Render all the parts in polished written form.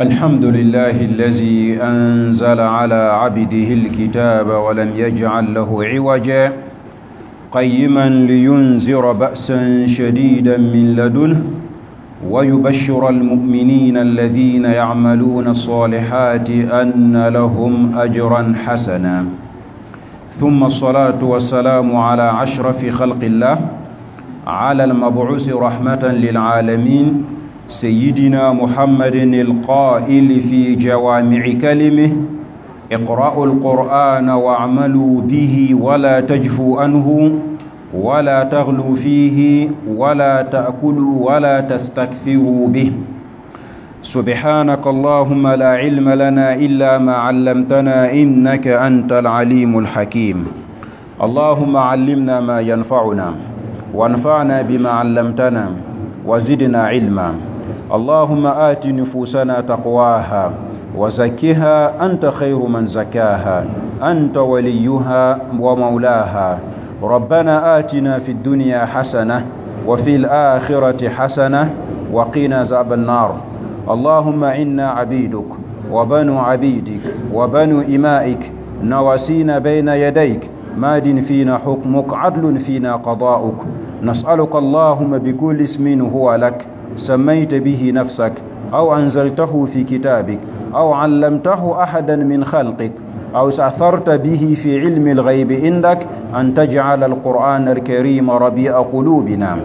الحمد لله الذي أنزل على عبده الكتاب ولم يجعل له عوجا قيما لينذر بأسا شديدا من لدنه ويبشر المؤمنين الذين يعملون الصالحات أن لهم أجرا حسنا. ثم الصلاة والسلام على أشرف خلق الله، على المبعوث رحمة للعالمين، سيدنا محمد القائل في جوامع كلمه: اقرأوا القرآن واعملوا به ولا تجفوا عنه ولا تغلوا فيه ولا تأكلوا ولا تستكثروا به. سبحانك اللهم لا علم لنا إلا ما علمتنا إنك أنت العليم الحكيم. اللهم علمنا ما ينفعنا وانفعنا بما علمتنا وزدنا علما. اللهم آت نفوسنا تقواها وزكها أنت خير من زكاها، أنت وليها ومولاها. ربنا آتنا في الدنيا حسنة وفي الآخرة حسنة وقنا عذاب النار. اللهم إنا عبيدك وبنو عبيدك وبنو إمائك، نواسينا بين يديك، ماد فينا حكمك، عدل فينا قضاؤك. نسألك اللهم بكل اسم هو لك سميت به نفسك، أو أنزلته في كتابك، أو علمته أحدا من خلقك، أو استأثرت به في علم الغيب عندك، أن تجعل القرآن الكريم ربيع قلوبنا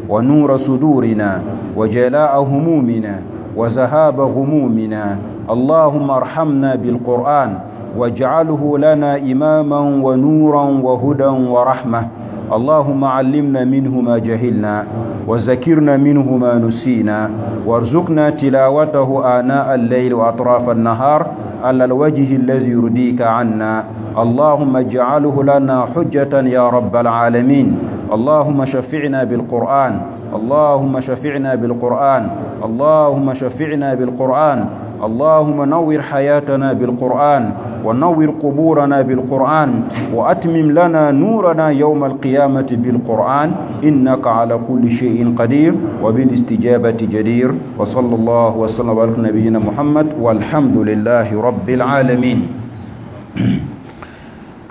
ونور صدورنا وجلاء همومنا وذهاب غمومنا. اللهم ارحمنا بالقرآن واجعله لنا إماما ونورا وهدى ورحمة. اللهم علمنا منه ما جهلنا وذكرنا منه ما نسينا، وارزقنا تلاوته آناء الليل وأطراف النهار على الوجه الذي يرضيك عنا. اللهم اجعله لنا حجة يا رب العالمين. اللهم شفعنا بالقرآن، اللهم شفعنا بالقرآن، اللهم شفعنا بالقرآن. اللهم نور حياتنا بالقرآن، ونور قبورنا بالقرآن، وأتمم لنا نورنا يوم القيامة بالقرآن، إنك على كل شيء قدير وبالاستجابة جدير. وصلى الله وسلم على نبينا محمد والحمد لله رب العالمين.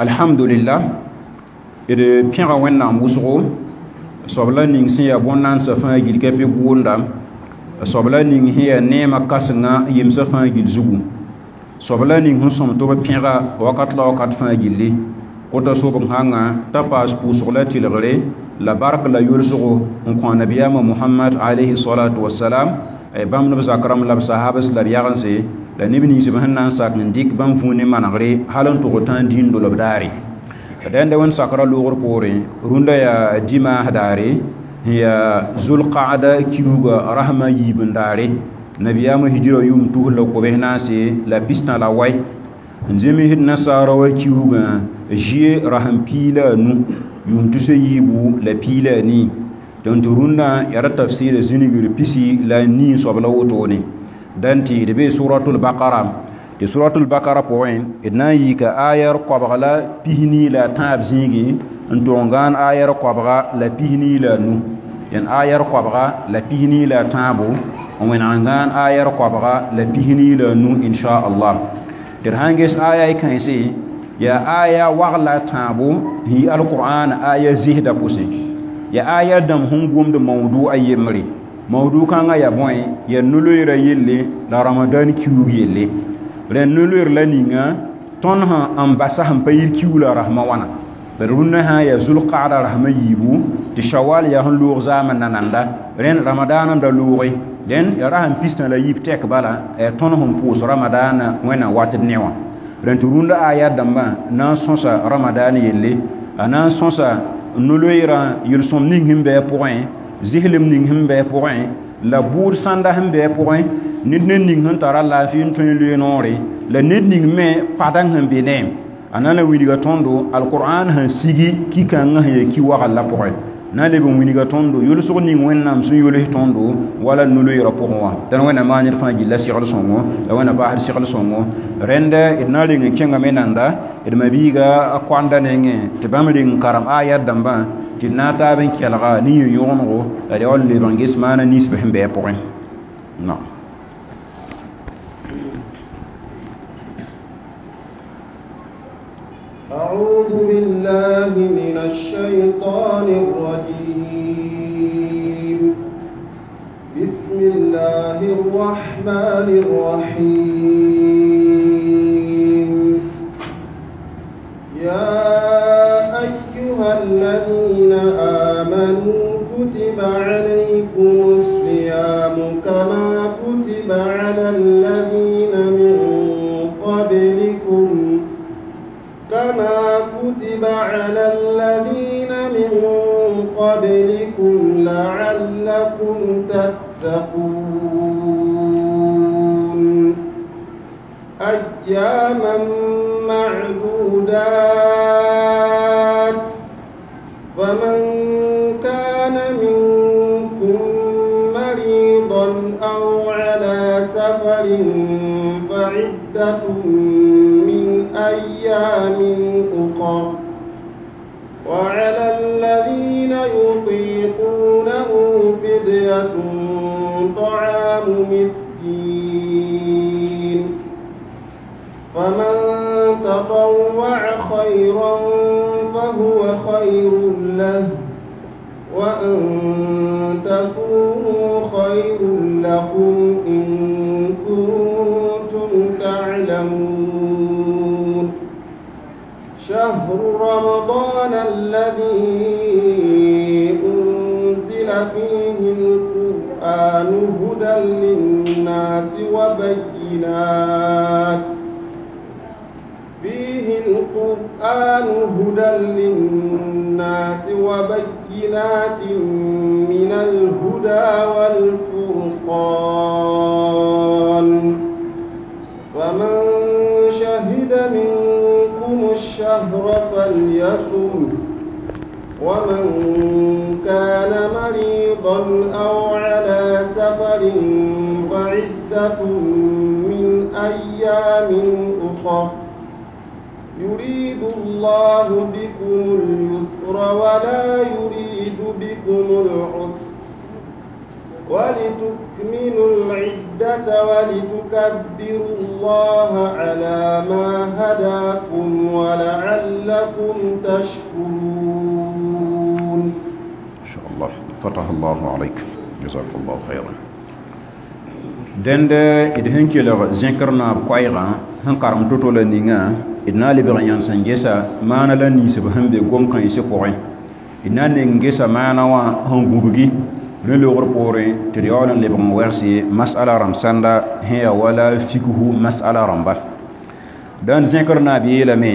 الحمد لله. إذا بيغا وين وسغو صبلا نينسي بونان سفان جيل كبي بوندا sobla ning hiya nema kasenga yemsa fãa gil zugu, sobla ning sẽn sõm tɩ b pẽga wakat la wakat fãa gilli kota sobg sãnga t'a paas pʋʋsg la tɩlgre la bark la yʋlsgo n kõ nabiyaamã Mohamad alayhi salatu wasalam, bãmb neb zak rãmb la b sahabs la b yagense la neb nins b sẽn na n sak n dɩk bãmb vũu ne manegre hal n tʋg tãa dĩin dolb daare. Dẽnda wẽnd sakra loogr poorẽ rũndã yaa dimaas daare, ya zulqaada kiuga rahma yibin daare. Nabiyama hijira yum tuhla ko nase la pista la way nzemi hid nasara wa kiuga jie raham pila nu yum tuse yibu la pila ni don turunda yara tafsir zinigir pisi la ni sobla woto ne danti de be suratul baqara de suratul baqara point idna yika ayar qabla pihni la tab zigi n tʋg n gãan ayar koabga la pisni la nu yen ayar koabga la pisni la tãabo n wẽneg n gãan ayar koabga la pisni la nu inchallah. Tɩ d sãn ges aya y kãense yaa aya wagla tãabo sẽn yi alqur'an aya zɩsda pʋsẽ, yaa aya dãmb sẽn gomd mawdu a yembre. Mawdu kãngã yaa bõe? Yaa no-loeera yelle la ramadan kiuug yelle. Rẽnd no-loeer la ninga tõnd sẽn n basa sẽn pa yir kiuug la rasmã wãna. Rũndã sã yaa zulqaada rasmã yiibu tɩ shawal yaa sẽn loog zaamã nananda rẽnd ramadaanã da looge dẽn yaa rasẽn pistã la yiib tɛk bala yaa tõnd sẽn pʋʋs ramadaanã wẽnnaam watd ne wã. Rẽnd tɩ rũndã aya dãmbã na n sõsa ramadaan yelle, a na n sõsa no-loeerã yel-sõm ning sẽn bɩ a pʋgẽ, zɩslem ning sẽn bɩ a pʋgẽ, la bʋʋd sãnda sẽn bɩ a pʋgẽ, ned ne ning sẽn tara laafɩ n tõe n loe noore la ned ning me padang sẽn be neem. A na n wilga tõndo alqur'an sẽn sigi ki-kãngã sẽn yaa ki-wagl la pʋgẽ na n leb n wilga tõndo yʋlsg ning Wẽnnaam sẽn yʋls tõndo wala no-loeerã pʋgẽ wã. Tɩ Wẽnnaam maan ned fãa gilla segl sõngo la Wẽnnaam baasd segl sõngo. Rẽnda d na n reng n kẽngame nanda d mabiiga a koanda nengẽ tɩ bãmb reng n karem ayat dãmbã tɩ d na n taab n kelga ne yẽ-yõgenego la d yaool n leb n ges maana ninsb sẽn bɩ a pʋgẽ. بالله من الشيطان الرجيم. بسم الله الرحمن الرحيم. يا أيها الذين آمنوا كتب عليكم الصيام كما كتب على الذين من قبلكم كما كتب على الذين من قبلكم لعلكم تتقون. أياما معدودات، فمن كان منكم مريضا أو على سفر فعدة من أيام أخر، وعلى الذين يطيقونه فدية طعام مسكين، فمن تطوع خيرا فهو خير له، وأن تصوموا خير لكم إن كنتم تعلمون. شهر رمضان الذي أنزل فيه القرآن هدى للناس وبينات فيه القرآن هدى للناس وبينات من الهدى والفرقان، فمن شهد منكم الشهر فليصم، ومن كان مريضا أو على سفر فعدة من أيام أخر، يريد الله بكم اليسر ولا يريد بكم العسر، ولتكملوا العدة ولتكبروا الله على ما هداكم ولعلكم تشكرون. إن شاء الله. فتح الله عليك، جزاك الله خيرا. Dẽnd d sẽn kelg zẽkr naab koɛɛgã sẽn karem to-to la ninga d na n lebg n yãns n gesa maana la ninsb sẽn be gom-kãensã pʋgẽ, d na n neng gesa maana wã sẽn gũbgi rẽ loogr poorẽ tɩ d yaool n lebg n wɛgse masala rãmb sãnda sẽn yaa wala fikhu masala rãmba. Dãn zẽkr naab yeelame: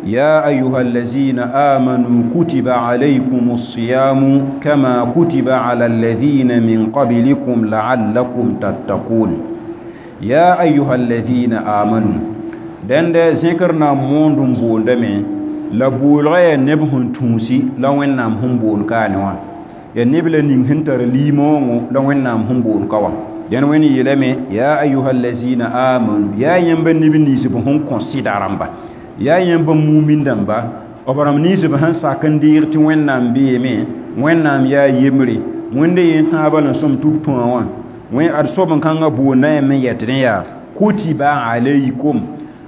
يا أيها الذين آمنوا كتب عليكم الصيام كما كتب على الذين من قبلكم لعلكم تتقون. يا أيها الذين آمنوا دند ذكرنا موندم بوندمي لا بولغي نبهن تونسي لا وين نام هم بون كانوا يا نبل نين هنتر ليمونغو لا وين نام هم بون كوا دين وين يلمي يا أيها الذين آمنوا يا يمبن نبني سبهم كونسيدارamba yaa yẽmb mumin dãmba b rãmb ninsb sẽn sak n deeg tɩ Wẽnnaam beeme, Wẽnnaam yaa yembre, Wẽnde yẽ tãabã la sõm tɩ b tõa wã wẽ ad soab n kãngã boonda yãmb n yɛtdẽ yaa kutiba alaykum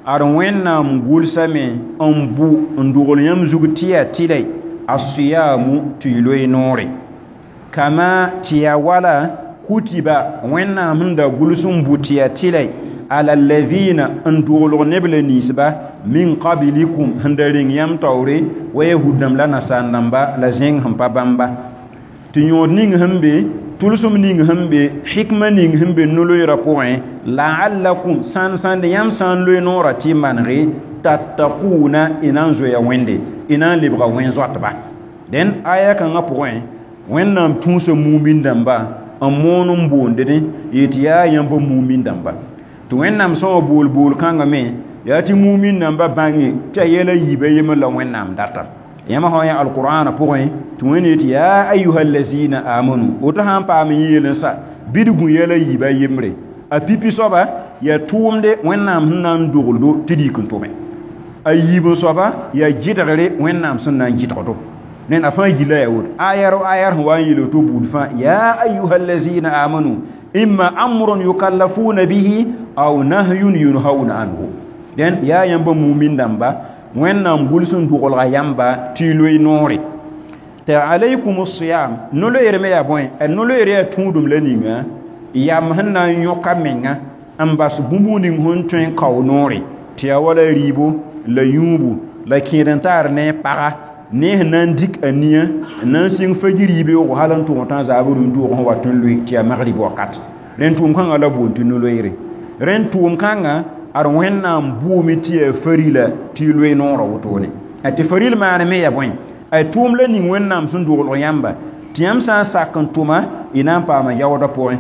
ad Wẽnnaam gʋlsame n bʋ n dogl yãmb zug tɩ yaa tɩlɛ asiyamu tɩ y loe noore kama tɩ yaa wala kutiba Wẽnnaam sẽn da gʋls n bʋ tɩ yaa tɩlɛ ala alladhina n doglg neb la ninsba min qablikum sẽn da reng yãmb taoore wa yahud-dãmb la nasaar-dãmba la zẽng sẽn pa bãmba tɩ yõod ning sẽn be tʋlsem ning sẽn be hikma ning sẽn be no-loeerã pʋgẽ la'allakum sãn sãnd yãmb sã n loe noorã tɩ y manege tattaquna y na n zoeya Wẽnde y na n lebga wẽn-zoatba. Dẽn aya kãngã pʋgẽ Wẽnnaam tũusa mumin dãmba n moon n boondẽ yetɩ yaa yãmb mumin dãmba tɩ Wẽnnaam sã wã bool bool kãngã me yaa tɩ mumin dãmba bãnge tɩ a yɛla yiibã yembr la Wẽnnaam data. Yãmb sã yã alqur'ana pʋgẽ tɩ Wẽnd yetɩ yaa ayuha allazina amanu woto sã n paam n yeel n sa bɩ d gũ yɛla yiibã yembre a pipi soaba yaa tʋʋmde Wẽnnaam sẽn na n dogldo tɩ d yik n tʋme a yiib n soaba yaa gɩdgre Wẽnnaam sẽn na n gɩdgdo ned a fãa gilla yaa woto ayar ayar sẽn wa n yeel woto buud fãa yaa ayuha allazina amanu imma amrun yukallafuna bihi aw nahyun yunhauna anhu. Dẽn yaa yãmb mumin dãmba Wẽnnaam gʋls n doglga yãmba tɩ y loe noore tɩ alaykum siyam no-loeer me yaa bõe a no-loeer yaa tũudum la ninga yam sẽn na n yõka menga n bas bũmb ning sẽn tõe n kao noore tɩ yaa wala rɩɩbo la yũubu la kẽed n taar ne paga ne sẽn na n dik a nia n na n sɩng fajir yibeoogo hal n tʋg tã zaabr rũn-toog sẽn wat n loe tɩ yaa magrib wakat rẽnd tʋʋm kãngã la boond tɩ no-loeere rẽnd tʋʋm kãngã ad Wẽnnaam bʋʋme tɩ yaa farila tɩ y loe noorã wotone tɩ faril maane me yaa bõe ay tʋʋm la ning Wẽnnaam sẽn doglg yãmba tɩ yãmb sã n sak n tʋma y na n paama yaoodã pʋgẽ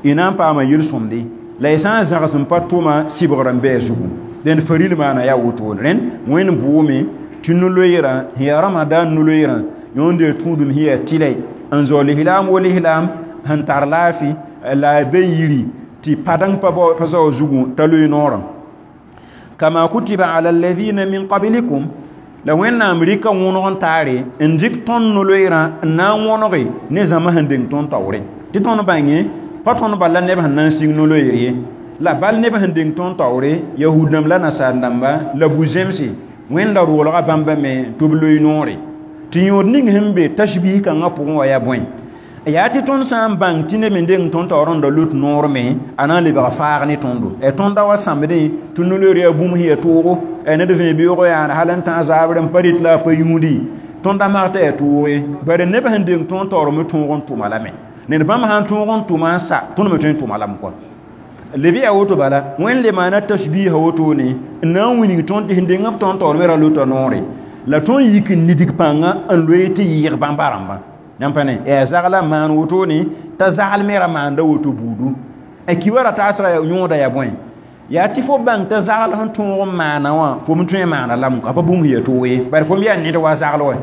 y na n paama yel-sõmde la y sã n zãgs n pa tʋma sɩbgr n bɩ a zugu dẽnd faril maana yaa wotone rẽnd Wẽnd bʋʋme tɩ no-loeerã sẽn yaa Ramadan no-loeerã yõnd yaa tũudum sẽn yaa tɩlɛ n zao lislaam wo lislaam sẽn tar laafɩ la a be yiri tɩ padeng pa zao zugu t'a loe noorã kama kutiba ala alladhina min qablikum la Wẽnnaam rɩka wõneg n taare n dɩk tõnd no-loeerã n na n wõnege ne zãma sẽn deng tõnd taoore tɩ tõnd bãnge pa tõnd bal la neb sẽn na n sɩng no-loeer ye la bal neb sẽn deng tõnd taoore yahud-dãmb la nasaar-dãmba la bu-zemse Wẽnda roolga bãmba me tɩ b loe noore tɩ yõod ning sẽn be tashbih kãngã pʋgẽ wã yaa bõe yaa tɩ tõnd sã n bãng tɩ neb me deng tõnd taoor n da lut noor me a na n lebga faag ne tõndo tõnd da wa sãmbdẽ tɩ no-loeer yaa bũmb sẽn yaa toogo ned vẽ beoogo yaana hal n tã zaabr n pa rɩt la a pa yũudi tõnd da mag t'a yaa toog ye bari neb sẽn deng tõnd taoor me tõog n tʋma lame ned bãmb sãn tõog n tʋma n sa tõnd me tõe n tʋma lame kɔ leb yaa woto bala Wẽnd le maana tashbiha wotone n na n wilg tõnd tɩ sẽn deng b tõnd taoor me ra lota noore la tõnd yik n nidg pãnga n loe tɩ yɩɩg bãmba rãmbã yãmb pa ne yaa zagla n maan wotone t'a zagl me ra maanda woto buudu a kiwa ra taasga yõoda yaa bõe yaa tɩ fo bãng t'a zagl sẽn tõog n maana wã fo me tõe n maana lame a pa bũmb sẽn yaa toog ye bari fo me yaa ned wa zagl wã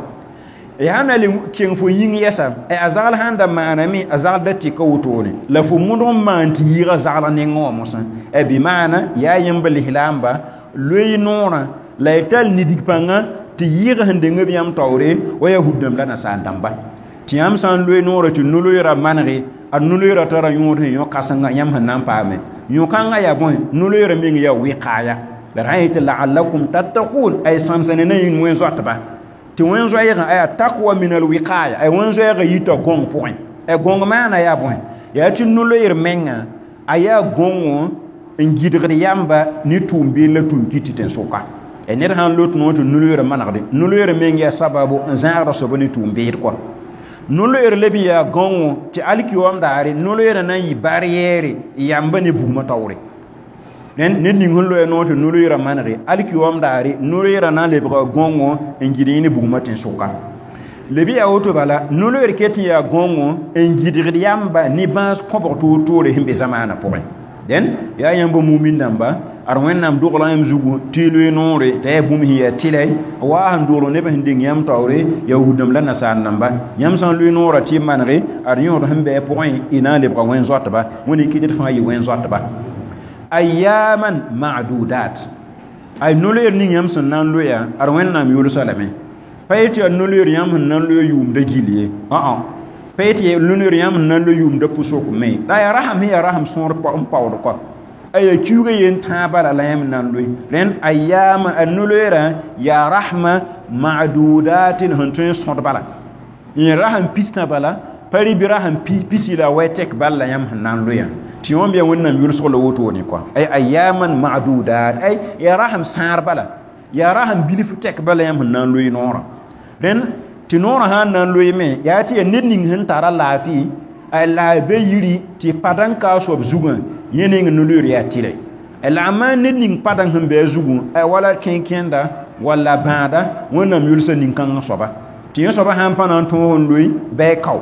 yaa na le keng fo yĩng yɛsa a zagl sãn da maaname a zagl da tɩka wotone la fo mõdg n maan tɩ yɩɩga zagl nengẽ wã mosã bɩ maana yaa yẽmb lislaamba loe noorã la y tall nidg pãnga tɩ yɩɩg sẽn deng b yãmb taoore wa yahud-dãmb la nasaar-dãmba tɩ yãmb sã n loe noorã tɩ no-loeerã manege a no-loeerã tara yõod sẽn yõ kãsenga yãmb sẽn na n paame yõ-kãngã yaa bõe no-loeerã meng yaa wɩkaaya la d sã n yetɩ la'allakum tattaqun ay sãmsa ne na yĩng wẽn-zoatba tɩ wẽn-zoɛɛgã aya takwa min alwiqaya ay wẽn-zoɛɛgã yita gõng pʋgẽ a gõng maana yaa bõe yaa tɩ no-loeer menga a yaa gõngo n gɩdgd yãmba ne tʋʋm-beel la tʋʋm kɩ tɩ tẽn-sʋka ned sãn lot noor tɩ no-loeerã manegde no-loeerã meng yaa sababu n zãagda soaba ne tʋʋm-beed kɔa no-loeer leb yaa gãongo tɩ alkiyoam daare no-loeerã na n yɩ barrière yãmba ne bugmã taoore ned ning sẽn loe noor tɩ no-loeerã manege alkiyoam daare no-loeerã na n lebga gãongo n gɩd yẽ ne bugmã tẽn-sʋka leb yaa woto bala no-loeer ket n yaa gãongo n gɩdgd yãmba ne bãas kõbg toor-toore sẽn be zamaanã pʋgẽ dẽn yaa yãmb mumin dãmba ad Wẽnnaam dogla yãmb zugu tɩ y loe noore t'a yaa bũmb sẽn yaa tɩlɛ waa sẽn dogl neb sẽn deng yãmb taoore yahud-dãmb la nasaar-dãmba yãmb sã n loe noorã tɩ y manege ad yõod sẽn bɩ a pʋgẽ y na n lebga wẽn-zoatba Wẽnd kɩ ned fãa yɩ wẽn-zoatba ayyaman ma'dudat ay no-loeer ning yãmb sẽn na n loeya ad Wẽnnaam yʋlsa lame pa yetɩ yaa no-loeer yãmb sẽn na n loe yʋʋmda gill ye ã pa yetɩ no-loeer yãmb sẽn na n loe yʋʋmda pʋsok me la yaa rasam sẽn yaa rasam sõor n paood kɔ a yaa kiuga yen tãa bala la yãmb na n loe rẽnd ayyaama a no-loeerã yaa rasma ma'dudatin sẽn tõe n sõd bala yẽ rasam pistã bala pa rɩ bɩ rasam pisi la wɛ tɛk bal la yãmb sẽn na n loeã tɩ yõmb yaa Wẽnnaam yʋlsg la wotone kɔa ay ayyaman ma'dudat ay yaa rasam sãar bala yaa rasam bilf tɛk bala yãmb sẽn na n loe noorã rẽnd tɩ noorã sã n na n loe me yaa tɩ yaa ned ning sẽn tara laafɩ a la be yiri tɩ padãn ka a soab zugã yẽ ning no-loeer yaa tɩlɛ la a maan ned ning padãng sẽn be a zugu wala kẽn-kẽnda walla bãada Wẽnnaam yʋlsa nin-kãngã soaba tɩ yẽ soaba sãn pa na n tõog n loe bɩ a kao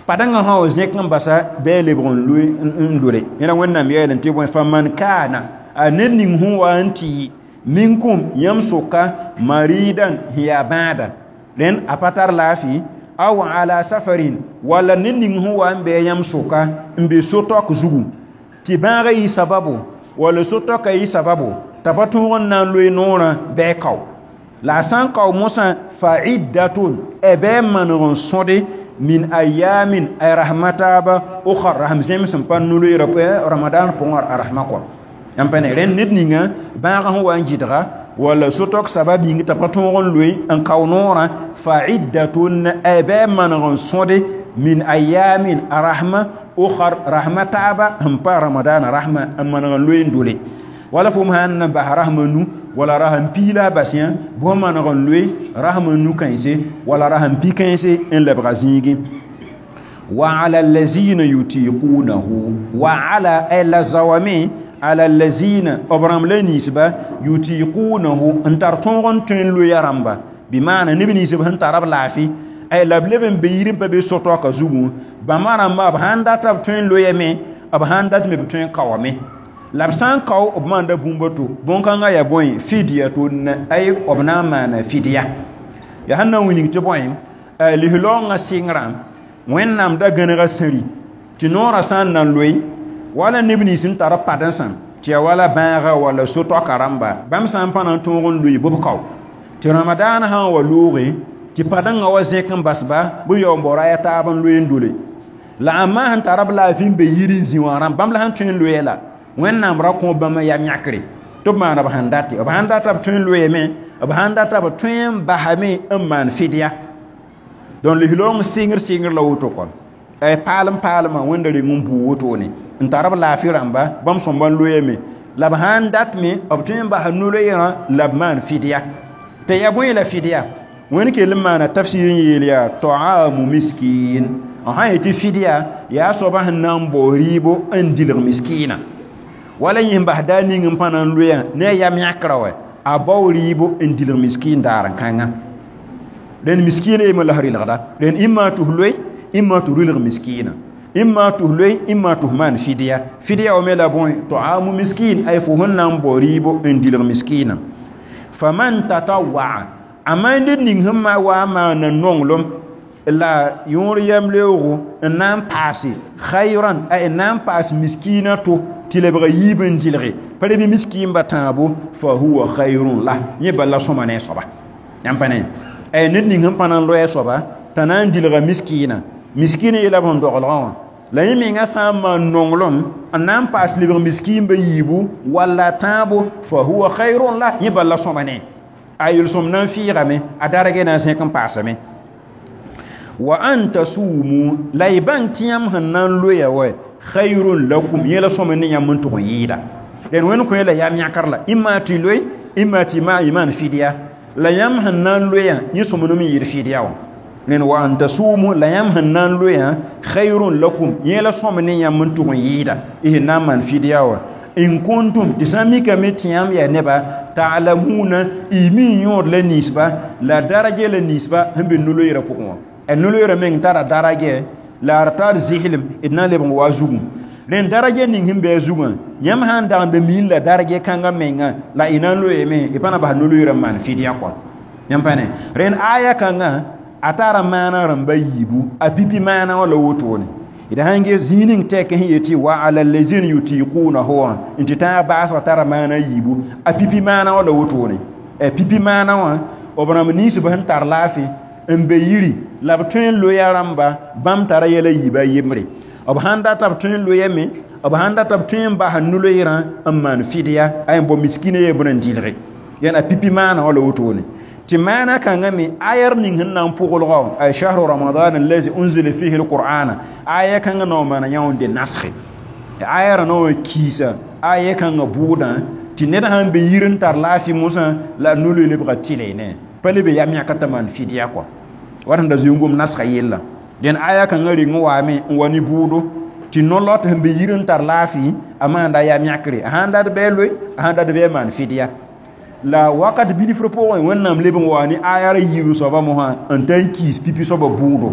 padãngã sã wa zẽk n basa bɩ a lebg n loe n lore yẽla Wẽnnaam yeelẽ tɩ bõe faman kaana a ned ning sẽn wa n tɩ yɩ minkum yãmb sʋka maridan sẽn yaa bãada rẽnd a pa tar laafɩ aw ala safarin walla ned ning sẽn wa n bɩ yãmb sʋka n be so-taok zugu tɩ bãagã yɩ sababu walla so-taoka yɩ sababu t'a pa tõog n na n loe noorã bɩ a kao la a sã n kao mosã fa iddatun bɩ a maneg n sõde min ayamin ay rahmataaba ukhar rasam zems n pa no-loeerã Ramadan pʋgẽ a rasmã kɔ yãmb pa ne rẽnd ned ninga bãagã sẽn wa n gɩdga Wala sotok sabab yĩng t'a pa tõog n loe n kao noorã fa iddatun ay bɩ a maneg n sõde min ayamin a rahma ukhar rahma taaba sẽn pa ramadaana rahma n maneg n loe n dole wala fo sãn na bas rasma nu wala rasm pii la a bas yã bõe maneg n loe rasm nu kãense wala rasm pi kãense n lebga zĩigẽ wa ala allazina yutiqunahu wa ala ay la zawame ala allazina b rãmb la ninsba yutiqunahu n tar tõog n tõe n loeya rãmba bɩ maana neb ninsb sẽn tara b laafɩ ay la b leb n be yir n pa be so-taoka zugu bãmba rãmba b sãn data b tõe n loyame b sãn dat me b tõe n kaoame la b sã n kao b maanda bũmb to bõn-kãngã yaa bõe fidyatun ay b na n maana fidya yaa sẽn na n wilg tɩ bõe lislaoongã sɩngrã Wẽnnaam da gãnega sẽri tɩ noorã sã n na n loe wala neb nins n tar padensã tɩ yaa wala bãaga wala so-toaka rãmba bãmb sã n pa na n tõog n loe bɩ b kao tɩ ramadaana sã n wa looge tɩ padengã wa zẽk n basba bɩ yaoog n bao raya taab n loe n dole la ãmba sẽn tara b laafɩ n be yir n zĩ wã rãmb bãmb la sẽn tõe n loeya la Wẽnnaam ra kõ bãmb yam yãkre tɩ b maana b sẽn date b sãn data b tõe n loeeme b sãn data b tõe n basame n maan fidya donc lislaoong sɩngr sɩngr la woto kɔ ay paalem paalmã wẽnda reng n buu wotone n tar b laafɩ rãmba bãmb sõmba n loeeme la b sãn dat me b tõe n basa no-loeerã la b maan fidya tɩ yaa bõe la fidya wẽnd kell n maana tafsir n yeel yaa taamu miskin n sã yetɩ fidya yaa soaba sẽn na n bao rɩɩbo n dilg miskiina wala yẽ bas daa ning n pa na n loeã ne a yam yãkrã wa a bao rɩɩbo n dilg miskin daar n kãnga rẽnd miskiina yemã la rɩlgda rẽnd imma tɩ f loe imma tɩ rɩlg miskiina imma tɩ f loe imma tɩ f maan fidya fidya wa me la bõe taamu miskin ay fo sẽn na n bao rɩɩbo n dilg miskiina faman tatawaa a ned ning sẽn ma wa n maana nonglem la yõor yam-leoogo n na n paase khayran ay n na n paas miskiina to tɩ lebga yiib n dɩlge pa bɩ miskiinba tãabo fa huwa khayrun la yẽ bala sõma ne a soaba yãmb pa ne ay ned ning sẽn pa na n loe a soaba t'a na n dilga miskiina miskiina yeela b sẽn doglgã wã la yẽ menga sã n maan nonglem n na n paas lebg miskiinba yiibu walla tãabo fa huwa khayrun la yẽ bala sõma ne a yel-sõm na n fɩɩgame a darge na n zẽk n paasame wa an tasumu la y bãng tɩ yãmb sẽn na n loeya wa khayrun lakum yẽ la sõma ne yãmb n tʋg n yɩɩda dẽn wẽnd kõ la yam yãkr la imma tɩ loe imma tɩ y maan fidya la yãmb sẽn na n loeya yẽ sõmblem n yɩɩd fidya wã rẽnd wa an tasumu la yãmb sẽn na n loeya khayrun lakum yẽ la sõma ne yãmb n tʋg n yɩɩda y sẽn na n maan fidya wã in kuntum tɩ sã n mikame tɩ yãmb yaa neba ta'lamuna y mi yõod la ninsba la daraja la ninsba sẽn be no-loeerã pʋgẽ wã a no-loeerã meng tara daraja la d tar zɩslem d na n lebg n wa a zugẽ rẽnd daraja ning sẽn be a zugã yãmb sã n dagd miin la daraja kãngã menga la y na n loeeme y pa na bas no-loeerã n maan fidya kɔ yãmb pa ne rẽnd aya kãngã a tara maana rãmba yiibu a pipi maana wã la wotone d sãn ges zĩig ning tɛk sẽn yetɩ wa ala allazina yutiqunahu wã n tɩ tãag baasg tara maana yiibu a pipi maana wã la wotone a pipi maana wã b rãmb ninsb sẽn tar laafɩ n be yiri la b tõe n loeya rãmba bãmb tara yɛla yiiba yembre b sãn data b tõe n loeame b sãn data b tõe n bas no-loeerã n maan fidya a n bao miskiinã yebrã n dɩlge yãn a pipi maana wã la wotone tɩ maana kãngã me ayar ning sẽn na n pʋglgã ay shahru ramadan allazi unzila fihi alqur'ana aya kãngã naoor maana yã n de nasge aya rã naoor kiisa aya kãngã bʋʋdã tɩ ned sãn be yir n tar laafɩ mosã la no-loe lebga tɩle ne pa le be yam yãka t'a maan fidya kɔ wat sẽn da zoe-n-gom nasga yella dẽn aya kãngã reng n waame n wa ne bʋʋdo tɩ no-lot sẽn be yir n tar laafɩ a maanda yam yãkre a sãn dat bɩ a loe a sãn dat bɩ a maan fidya la wakat bilfr pʋgẽ wẽnnaam leb n wa ne aya ra yiib soaba mosã n ta n kiis pipi soaba bʋʋdo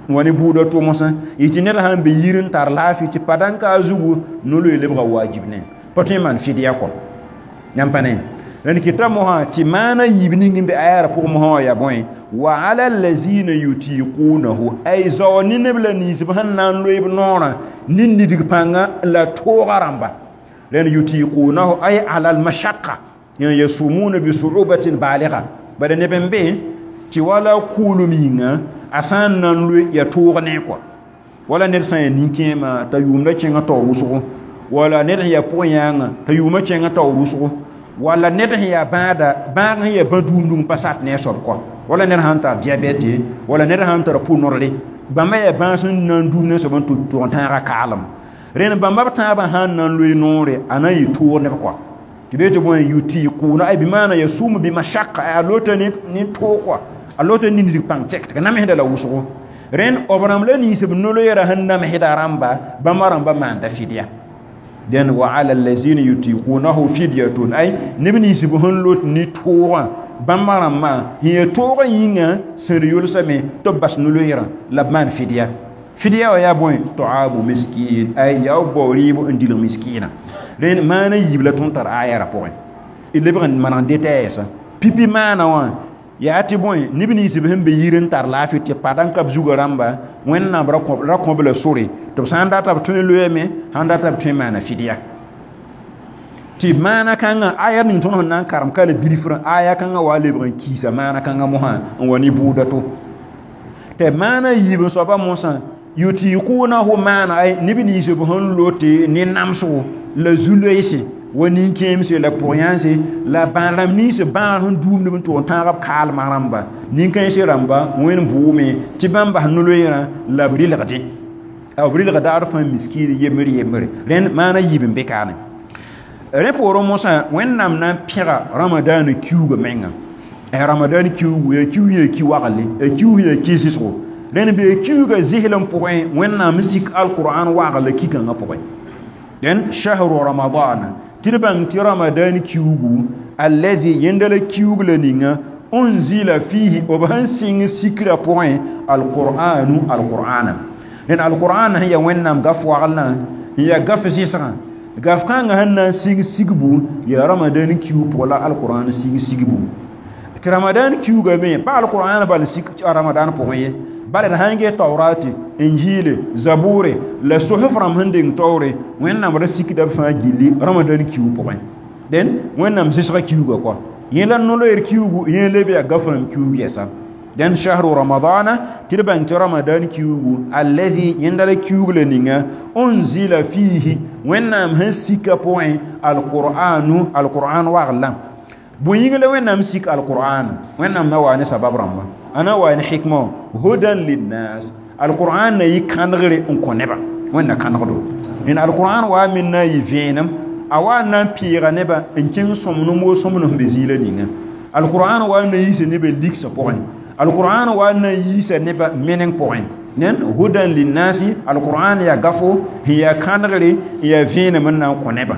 n wa ne bʋʋda to mosã yetɩ ned sãn be yir n tar laafɩ tɩ pa-dãn-ka a zugu no-loe lebga wajib ne pa tõe n maan fidya kɔ yãmb pa ne rẽnd kɩta mosã tɩ maana yiib ning n be aya ra pʋgẽ mosã wã yaa bõe wa ala allazina yutiqunahu ay zao ne neb la ninsb sẽn na n loe b noorã ne nidg pãnga la tooga rãmba rẽnd yutiqunahu ay ala almashaqa yasumuna bi su'ubatin baligha bala neb n be tɩ wala kʋʋlem yĩnga a sã n na n loe ya toog ne kɔa wala ned sã n yaa nin-kẽema t'a yʋʋmda kẽngã taoor wʋsgo wala ned sẽn yaa pʋg-yãangã t'a yʋʋmã kẽngã taoor wʋsgo Wala ned sẽn yaa bãada bãag sẽn yaa bã-duumdug pa sat ne a soab kɔ wala ned sãn tar diabɛte wala ned sãn tar pʋ-nodre bãmba yaa bãas sẽn na n duum ne soab n tʋg n tãaga kaalem rẽnd bãmba b tãabã sãn na n loe noore a na n yɩ toog neb kɔ tɩ bee tɩ bõe yutiquuna ay bɩ maana yasumu bimashaka a lota ne toog kɔ a lota ne nidg pãng tɛk tɩ ka namsda la wʋsgo rẽnd b rãmb la nins b no-loeera sẽn namsda rãmba bãmba rãmba maanda fidya dẽn wa ala allazina yutiqunahu fidyatun ay neb nins b sẽn lot ne toogã bãmba rãmbã sẽn yaa toogã yĩnga sẽd yʋlsame tɩ b bas no-loeerã la b maan fidya fidya wã yaa bõe taamu miskin ay yaa b bao rɩɩb n dilg miskiinã rẽnd maana yiib la tõnd tar ayara pʋgẽ d lebg n maneg detayɛɛsã pipi maana wã yaa tɩ bõe neb nins b sẽn be yir n tar laafɩ tɩ pa n ka b zugã rãmba wẽnnaam ra kõ b la sore tɩ b sã n data b tõe n loeeme sãn data b tõe n maana fidya tɩ maana kãngã aya ning tõnd sẽn na n karem ka la bilfrã aya kãngã wa lebg n kiisa maana kãngã mosã n wa ne bʋʋda to tɩ maana yiib n soaba mosã yutiqunahu maana ay neb nins b sẽn lote ne namsgo la zu-loeese wa nin-kẽemse la pʋg-yãnse la bãad-rãmb nins bãag sẽn duumd b n tʋg n tãag b kaalmã rãmba nin-kãensã rãmba wẽnd bʋʋme tɩ bãmb bas no-loeerã la b rɩlgdẽ b rɩlga daad fãa miskiin yembre yembre rẽnd maana yiib n be kaane rẽ poorẽ mosã wẽnnaam na n pẽga ramadaana kiuugã menga ramadan kiuugu yaa kiu yaa ki wagle yaa kiu yaa ki zɩsgo rẽnd bee kiuugã zɩslem pʋgẽ wẽnnaam sik alqur'an wagl la ki-kãngã pʋgẽ dẽn shahru ramadana tɩ d bãng tɩ ramadan kiuugu alladhi yẽnda la kiuug la ninga unzila fihi b sẽn sɩng sikrã pʋgẽ alqur'anu alqur'ana rẽnd alqur'an sẽn yaa wẽnnaam gaf waglã n yaa gaf zɩsgã gaf kãngã sẽn na n sɩng sigbu yaa ramadan kiuug pʋgẽ la alqur'an sɩng sigbu tɩ ramadan kiuugã me pa alqur'an bal sik ramadan pʋgẽ ye bala d sãn get taurati injile zabure la sosf rãmb sẽn deng taoore wẽnnaam ra sikda b fãa gilli ramadan kiuug pʋgẽ dẽn wẽnnaam zɩsgã kiuugã kɔ yẽ la no-loeer kiuugu yẽ leb yaa gaf rãmb kiuug yɛsa dẽn shahru ramadana tɩ d bãng tɩ ramadan kiuugu alladhi yẽnda la kiuug la ninga unzila fihi wẽnnaam sẽn sika pʋgẽ alqur'anu alqur'an waglã bõe yĩng la wẽnnaam sik alqur'an wẽnnaam na wa ne sabab rãmba ana wa ne hikma hudan linnas alqur'an na yɩ kãnegre n kõ nebã wẽnna kãnegdo n alqur'an wa me na yɩ vẽenem a wa na n pɩɩga nebã n kẽng sõmnem wo sõmnem sẽn be zĩila ninga alqur'an wa na yiisa nebã ligsã pʋgẽ alqur'an wa na yiisa nebã meneng pʋgẽ nen hudan linnasi alqur'an yaa gafo sẽn yaa kãnegre n yaa vẽenem n na n kõ nebã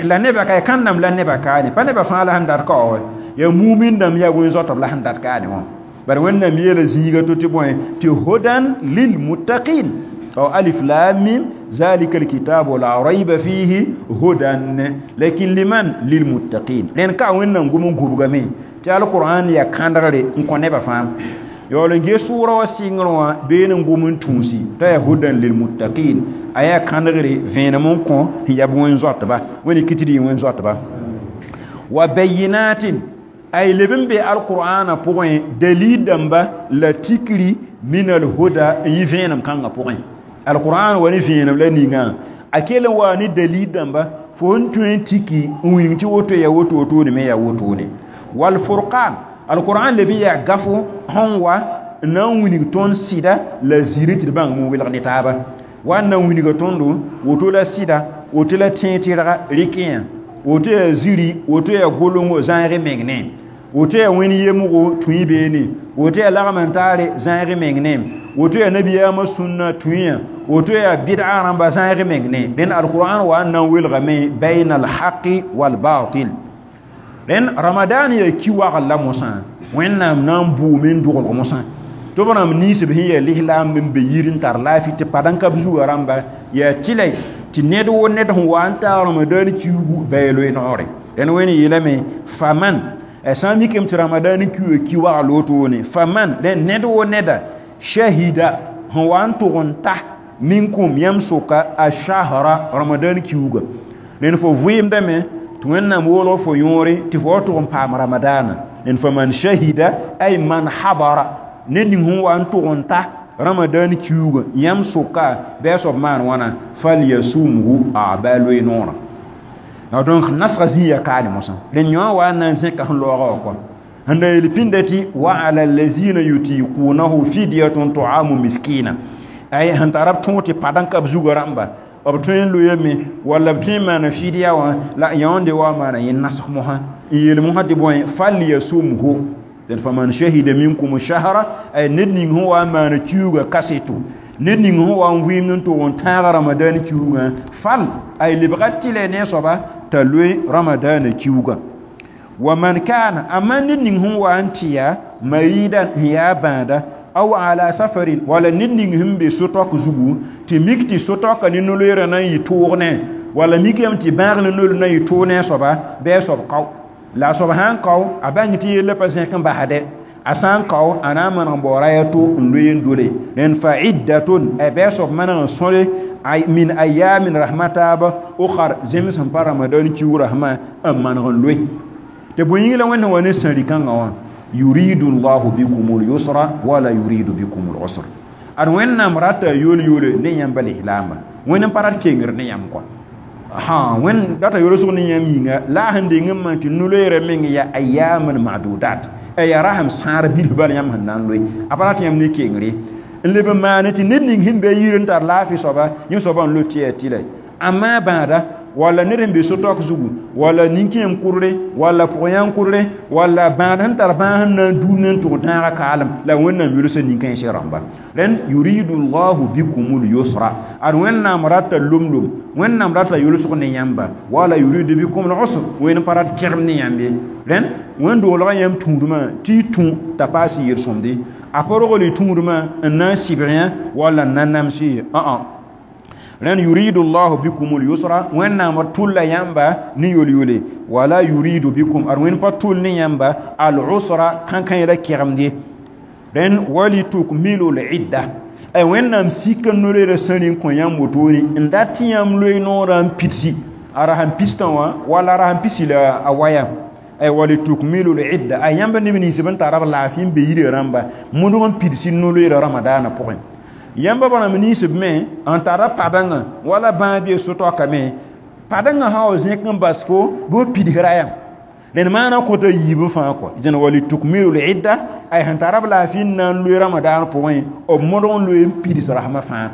la nebã ka kãndame la nebã kaane pa nebã fãa la sẽn dat ka wa yaa mumin dãmb yaa wẽn-zoatb la sẽn dat kaane wã bari wẽnnaam yeela zĩiga to tɩ bõe tɩ hudan lilmuttaqin aw alif lam mim zalika alkitabu la rayba fihi hudan lakin liman lilmuttaqin rẽnd ka wẽnnaam gom n gubgame tɩ alqur'an yaa kãndgre n kõ nebã fãa yaool n ges sʋʋra wã sɩngr wã been n gom n tũusi t'a yaa hudan lilmuttaqin a yaa kãndgre vẽenem n kõ sẽn yaa b wẽn-zoatba wẽnd kɩ tɩ d yɩ wẽn-zoatba wa bayinatin ay leb n be alqur'ana pʋgẽ dalil dãmba la tikri min alhuda n yɩ vẽenem kãngã pʋgẽ alqur'an wa ne vẽenem la ninga a kell n waa ne dalil dãmba fo n tõe n tiki n wilg tɩ woto yaa woto wotone me yaa wotone wal furqan alqur'an leb n yaa gafo sẽn wa n na n wilg tõnd sɩda la zĩri tɩ d bãng n welg ne taaba wa n na n wilga tõndo woto la sɩda woto la tẽeg-tɩrga rɩkẽ woto yaa zĩri woto yaa golongo zãeg meng ne woto yaa wẽnd yemgo tũi beene woto yaa lagm n taare zãeg meng ne woto yaa nabiyaamã sũnna tũyã woto yaa bɩd'a rãmba zãeg meng ne rẽnd alqur'an wa n na n welgame baina alhaqi walbatil rẽnd ramadan yaa ki wagl la mosã wẽnnaam na n bʋʋme n dʋglg mosã tɩ b rãmb ninsb sẽn yaa lislaam n be yir n tar laafɩ tɩ pa n ka b zugã rãmba yaa tɩlɛ tɩ ned wo ned sẽn wa n taag ramadan kiuugu bɩ a loe noore rẽnd wẽnd yeelame faman sã n mikame tɩ ramadan kiuugã ki wagl wotone faman rẽnd ned wo neda shahida sẽn wa n tʋg n ta minkum yãmb sʋka a shahra ramadan kiuugã rẽnd fo vɩɩmdame tɩ wẽnnaam woolg fo yõore tɩ fo wa tʋg n paam ramadaana rẽnd faman shahida ay man hadara ned ning sẽn wa n tʋg n ta ramadan kiuugã yãmb sʋka bɩ a soab maan wãna falyasumhu a bɩ a loe noorã Donc nasga zĩiga kaane mosã rẽnd yõ wa n na n zẽka sẽn loogã wã kɔa sẽn da yel pĩnda tɩ wa ala allazina yutiqunahu fidyatun ta'amu miskina ay sẽn tara b tõog tɩ pad n ka b zugã rãmba b tõe n loeeme walla b tõe n maana fidya wã la yãonde wa maana yẽ nasg mosã n yeel mosã tɩ bõe falyasumhu dẽn faman shahida minkum shahra ay ned ning sẽn wa n maana kiuugã kaseto ned ning sẽn wa n vɩɩmd n tʋg n tãag ramadan kiuugã fal ay lebga tɩlɛ ne soaba t'a loe ramadana kiuugã wa man kana amma ned ning sẽn wa n tɩ yaa maridan n yaa bãada aw ala safarin wala ned ning sẽn be so-taok zugu tɩ mik tɩ so-taoka ne no-loeerã na n yɩ toog ne wala mik yame tɩ bãag ne no-loer na n yɩ toog ne a soaba bɩ a soab kao la a soab sã n kao a bãng tɩ yellã pa zẽk n basde a sã n kao a na n maneg n baoora ya to n loe n dole rẽnd fa iddatun bɩ a soab maneg n sõre min ayamin rahmataaba ukhar zems sẽn pa ramadan kiuug rasmã n maneg n loe tɩ bõe yĩng la wẽnd sẽn wa ne sãri-kãngã wã yuridu llahu bikum lyusra wala yuridu bikum lusr ad wẽnnaam rata yool-yoole ne yãmba lislaamba wẽnd n pa rat kengr ne yãmb kɔa ha wẽnd rata yoolsg ne yãmb yĩnga la a sẽn deng n maan tɩ no-loeerã meng yaa ayaman madudat yaa rasem sãar bilf bala yãmb sẽn na n loe a pa rat yãmb ne kengre n leb n maane tɩ ned ning sẽn be yir n tar laafɩ soaba yẽ soaba n lot tɩ yaa tɩlɛ amma bãada walla ned sẽn be so-taok zugu walla nin-kẽem kʋdre walla pʋg-yãng kʋdre walla bãad sẽn tar bãag sẽn na n duum ne n tʋg tãagã kaalem la wẽnnaam yʋlsã nin-kãensã rãmba rẽnd yuridu llahu bikum lyusra ad wẽnnaam rata lom-lom wẽnnaam rata yʋlsg ne yãmba wala yuridu bikum lusr wẽnd pa rat kẽgem ne yãmb ye rẽnd wẽn-doolgã yãmb tũudmã tɩ y tũ t'a paas yel-sõmde a pa rogl y tũudmã n na n sɩbg yã walla n na nams ye rẽnd yuridu llahu bikum lyusra wẽnnaam tʋlla yãmba ne yol-yole wala yuridu bikum ad wẽnd pa tʋl ne yãmba al-usra kãnkã la kɛgemde rẽnd walitukmilu lidda ay wẽnnaam sik n no-loeerã sãri n kõ yãmb wotone n dat tɩ yãmb loe noorã n pidsi a rasem pistã wã walla a rasem pisi la a waya ay walitukmilu lidda a yãmb neb nins b n tara b laafɩ n be yirã rãmba modg n pidsi no-loeerã ramadaanã pʋgẽ yãmba bãmb ninsb me n tara padãngã wala bãag bee so-taokame padãngã sã wa zẽk n bas fo bɩ b pidsra yam rẽnd maana kõta yiib fãa kɔ dẽn walitukmilu lidda ay sẽn tara b laafɩ n na n loe ramadaan pʋgẽ b modg n loe n pids rasmã fãa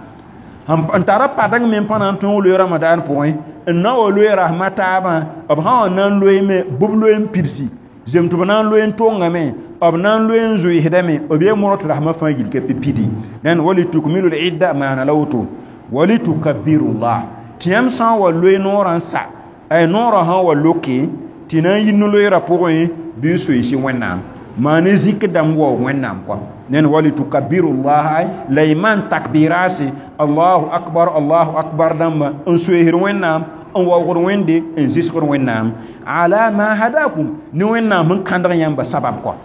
n tara padãng me n pa na n tõog loe ramadaan pʋgẽ n na wa loe rasmã taabã b sã wa na n loeeme bɩ b loe n pidsi zem tɩ b na n loe n tongame b na n loe n zoeesdame b yee modg tɩ rasmã fãa gil ka pidi rẽnd walitukmilu lidda maana la woto walitukabirullah tɩ yãmb sã n wa loe noorã n sa ay noorã sã n wa loke tɩ na n yi no-loeerã pʋgẽ bɩ n soeese wẽnnaam maa ne zikr dãmb waoog wẽnnaam kɔa ned walitukabirullah la y maan takbirase allahu akbar allahu akbar dãmba n soeesd wẽnnaam n waoogd wẽnde n zɩsgd wẽnnaam ala ma hadakum ne wẽnnaam sẽn kãndg yãmba sabab kɔa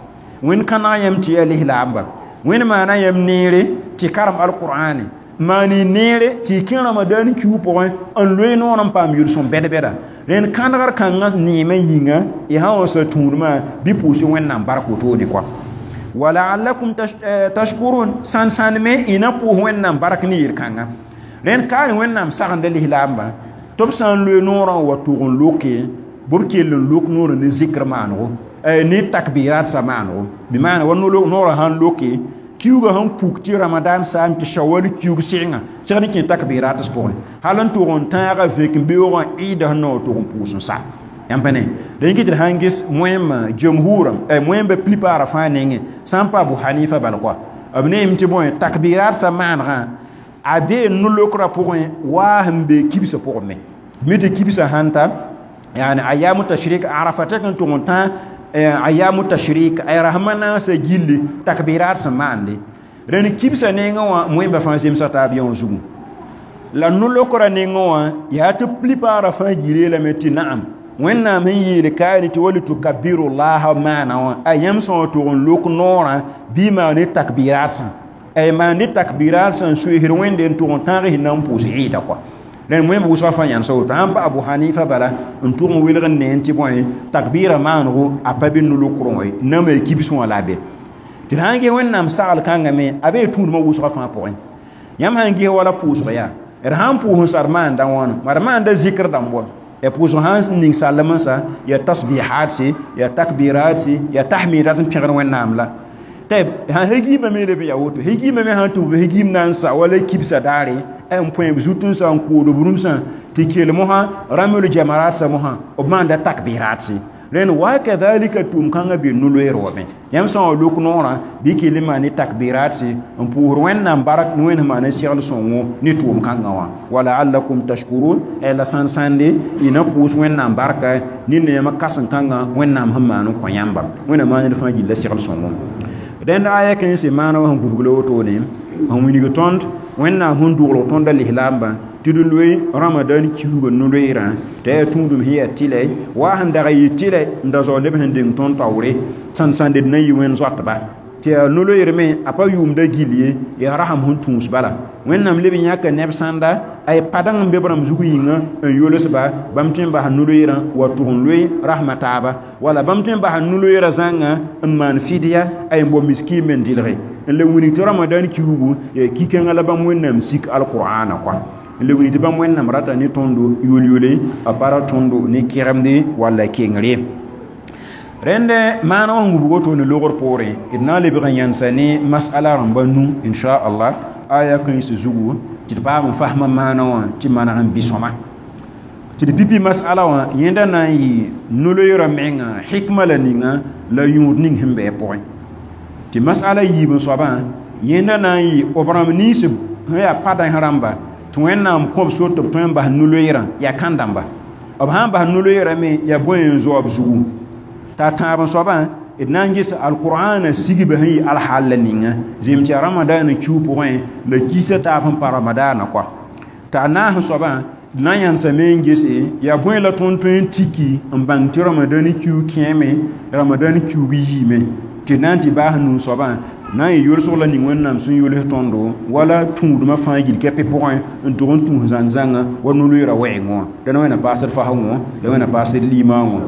wẽnd kãneg yãmb tɩ yaa lislaamba wẽnd maana yãmb neere tɩ karem alqur'ane maani neere tɩ y kẽ ramadan kiu pʋgẽ n loe noor n paam yʋl-sõm bɛd-bɛda rẽnd kãndgr kãngã neemã yĩnga y sã wa sa tũudmã bɩ pʋʋs wẽnnaam bark wotone kɔa walaalakum tashkurun sãn-sãndme y na pʋʋs wẽnnaam bark ne yel-kãngã rẽnd kaane wẽnnaam sagenda lislaambã tɩ b sã n loe noorã n wa tʋg n loke bɩ b kell n lok noorã ne zikr maanego ne takbirat sa maanego bɩ maana wa noorã sã n loke kiuugã sẽn puk tɩ ramadan saam tɩ shawal kiuug sɩngã segd n kẽ takbirat pʋgẽ hal n tʋg n tãaga vek n beoogã ɩɩda sẽn na wa tʋg n pʋʋs n sa yãmb pa ne dẽn kɩ tɩ d sãn ges wẽmã jamhurã wẽmba plupart fãa nengẽ sã n pa abu hanifa bal kɔa b neem tɩ bõe takbirat sa maanegã a bee no-lokrã pʋgẽ waa sẽn be kibsã pʋgẽ me mi tɩ kibsã sãn ta yani ayamu tashrik arafa tɛk n tʋg n tã ayamu tashrik ay rahma naasã gilli takbirat sẽn maande rẽnd kibsã nengẽ wã wẽmba fãa zemsa taab yã wã zugu la no-lokrã nengẽ wã yaa tɩ plupart fãa gil lame tɩ naam wẽnnaam sẽn yeel kaane tɩ walitukabirullaha maana wã a yãmb sã wa tʋg n lok noorã bɩ maan ne takbirat sã ay maan ne takbirat sã n soeesd wẽnde n tʋg n tãag sẽn na n pʋʋs ɩɩda kɔa rẽnd wẽmb wʋsgã fãa yãnsa woto sãn pa abu hanifa bala n tʋg n welg n ne n tɩ bõe takbira maanego a pa be no-lokrẽ wã ye nama kibs wã la a be tɩ d sãn ges wẽnnaam sagl kãngame a bee tũudmã wʋsgã fãa pʋgẽ yãmb sãn ges wala pʋʋsg yaa d sãn pʋʋs n sar maanda wãna d maanda zikr dãmb wa Ya pʋʋsg sãn ning salem n sa ya tasbihat ya takbirat ya tahmidat n pẽgd Wẽnnaam la tɩ sã hegiimã me leb n yaa woto hegiimã me sãn tʋb hegiim na n sa wala kibsã daare n põe b zut n sa n kood b rũmsã tɩ kell mosã ramel jamarat sa mosã b maanda takbirat. Rẽnd wa kadhalika tʋʋm kãngã be no-loeer wame yãmb sã n wa lok noorã bɩ kell n maan ne takbirat n pʋʋsd Wẽnnaam barak ne Wẽnd maan n segl sõngo ne tʋʋm kãngã wã wa laallakum tashkurun la sãn sãnde y na pʋʋs Wẽnnaam barka ned yãmb kãsem kãngã Wẽnnaam sẽn maan n kõ yãmba Wẽnnaam maan ned fãa gilla segl sõngo. Rẽnd aya kẽnse maana wã sẽn gũbg la wotone sẽn wilg tõnd Wẽnnaam sẽn dʋglg tõnda lislaambã tɩ d loe Ramadan kiuugã no-loeerã t'a yaa tũudum sẽn yaa tɩlɛ wa sẽn dag n yɩ tɩlɛ n da zao neb sẽn deng tõnd taoore sãn-sãnde d na n yɩ wẽnd zoatba tɩ yaa no-loeer me a pa yʋʋmda gill ye yaa rasem sẽn tũus bala Wẽnnaam leb n yãka neb sãnda ay padang n be b rãmb zug yĩnga n yolsba bãmb tõe n basa no-loeerã wa tʋg n loe rasmã taaba wala bãmb tõe n basa no-loeerã zãnga n maan fidya ay n bao miskiin me n dɩlge n le wilg tɩ Ramadan kiuugu yaa ki-kãngã la bãmb Wẽnnaam sik alqur'ana kɔa n le wilg tɩ bãmb Wẽnnaam rata ne tõndo yol-yole a pa ra tõndo ne kɛgemde walla kengre. Rẽnd maana wã sẽn wubg woto ne logr poorẽ d na n lebg n yãnsa ne masala rãmba nu inchallah aya kãens zugu tɩ d paam n fasmã maana wã tɩ maneg n bɩ sõma tɩ d pipi masala wã yẽnda na n yɩ no-loeerã menga hikma la ninga la yũud ning sẽn bɩ pʋgẽ tɩ masala yiib n soabã yẽnda na n yɩ b rãmb nins sẽn yaa padãs rãmba tɩ Wẽnnaam kõb sor tɩ b tõe n bas no-loeerã yaa kãn-dãmba b sã n bas no-loeerã me yaa bõe n zoa b zugu t'a tãab n soabã d na n ges alqur'ana sigba sẽn yɩ alhaal la ninga zẽm tɩ yaa ramadaana kiu pʋgẽ la kiisã taab sẽn pa ramadaana kɔa t'a naas n soabã d na n yãnsame n gese yaa bõe la tõnd tõe n tiki n bãng tɩ ramadan kiu kẽeme ramadan kiug yiime tɩ na n tɩ baas nuu soabã na n yɩ yolsg la ning Wẽnnaam sẽn yols tõndo wala tũudmã fãa gill kɛpɩ pʋgẽ n tʋg n tũus zãng-zãnga wa no-loeerã wɛɛngẽ wã dãn Wẽnna paasd fasgẽ la Wẽnna paasd limaangõ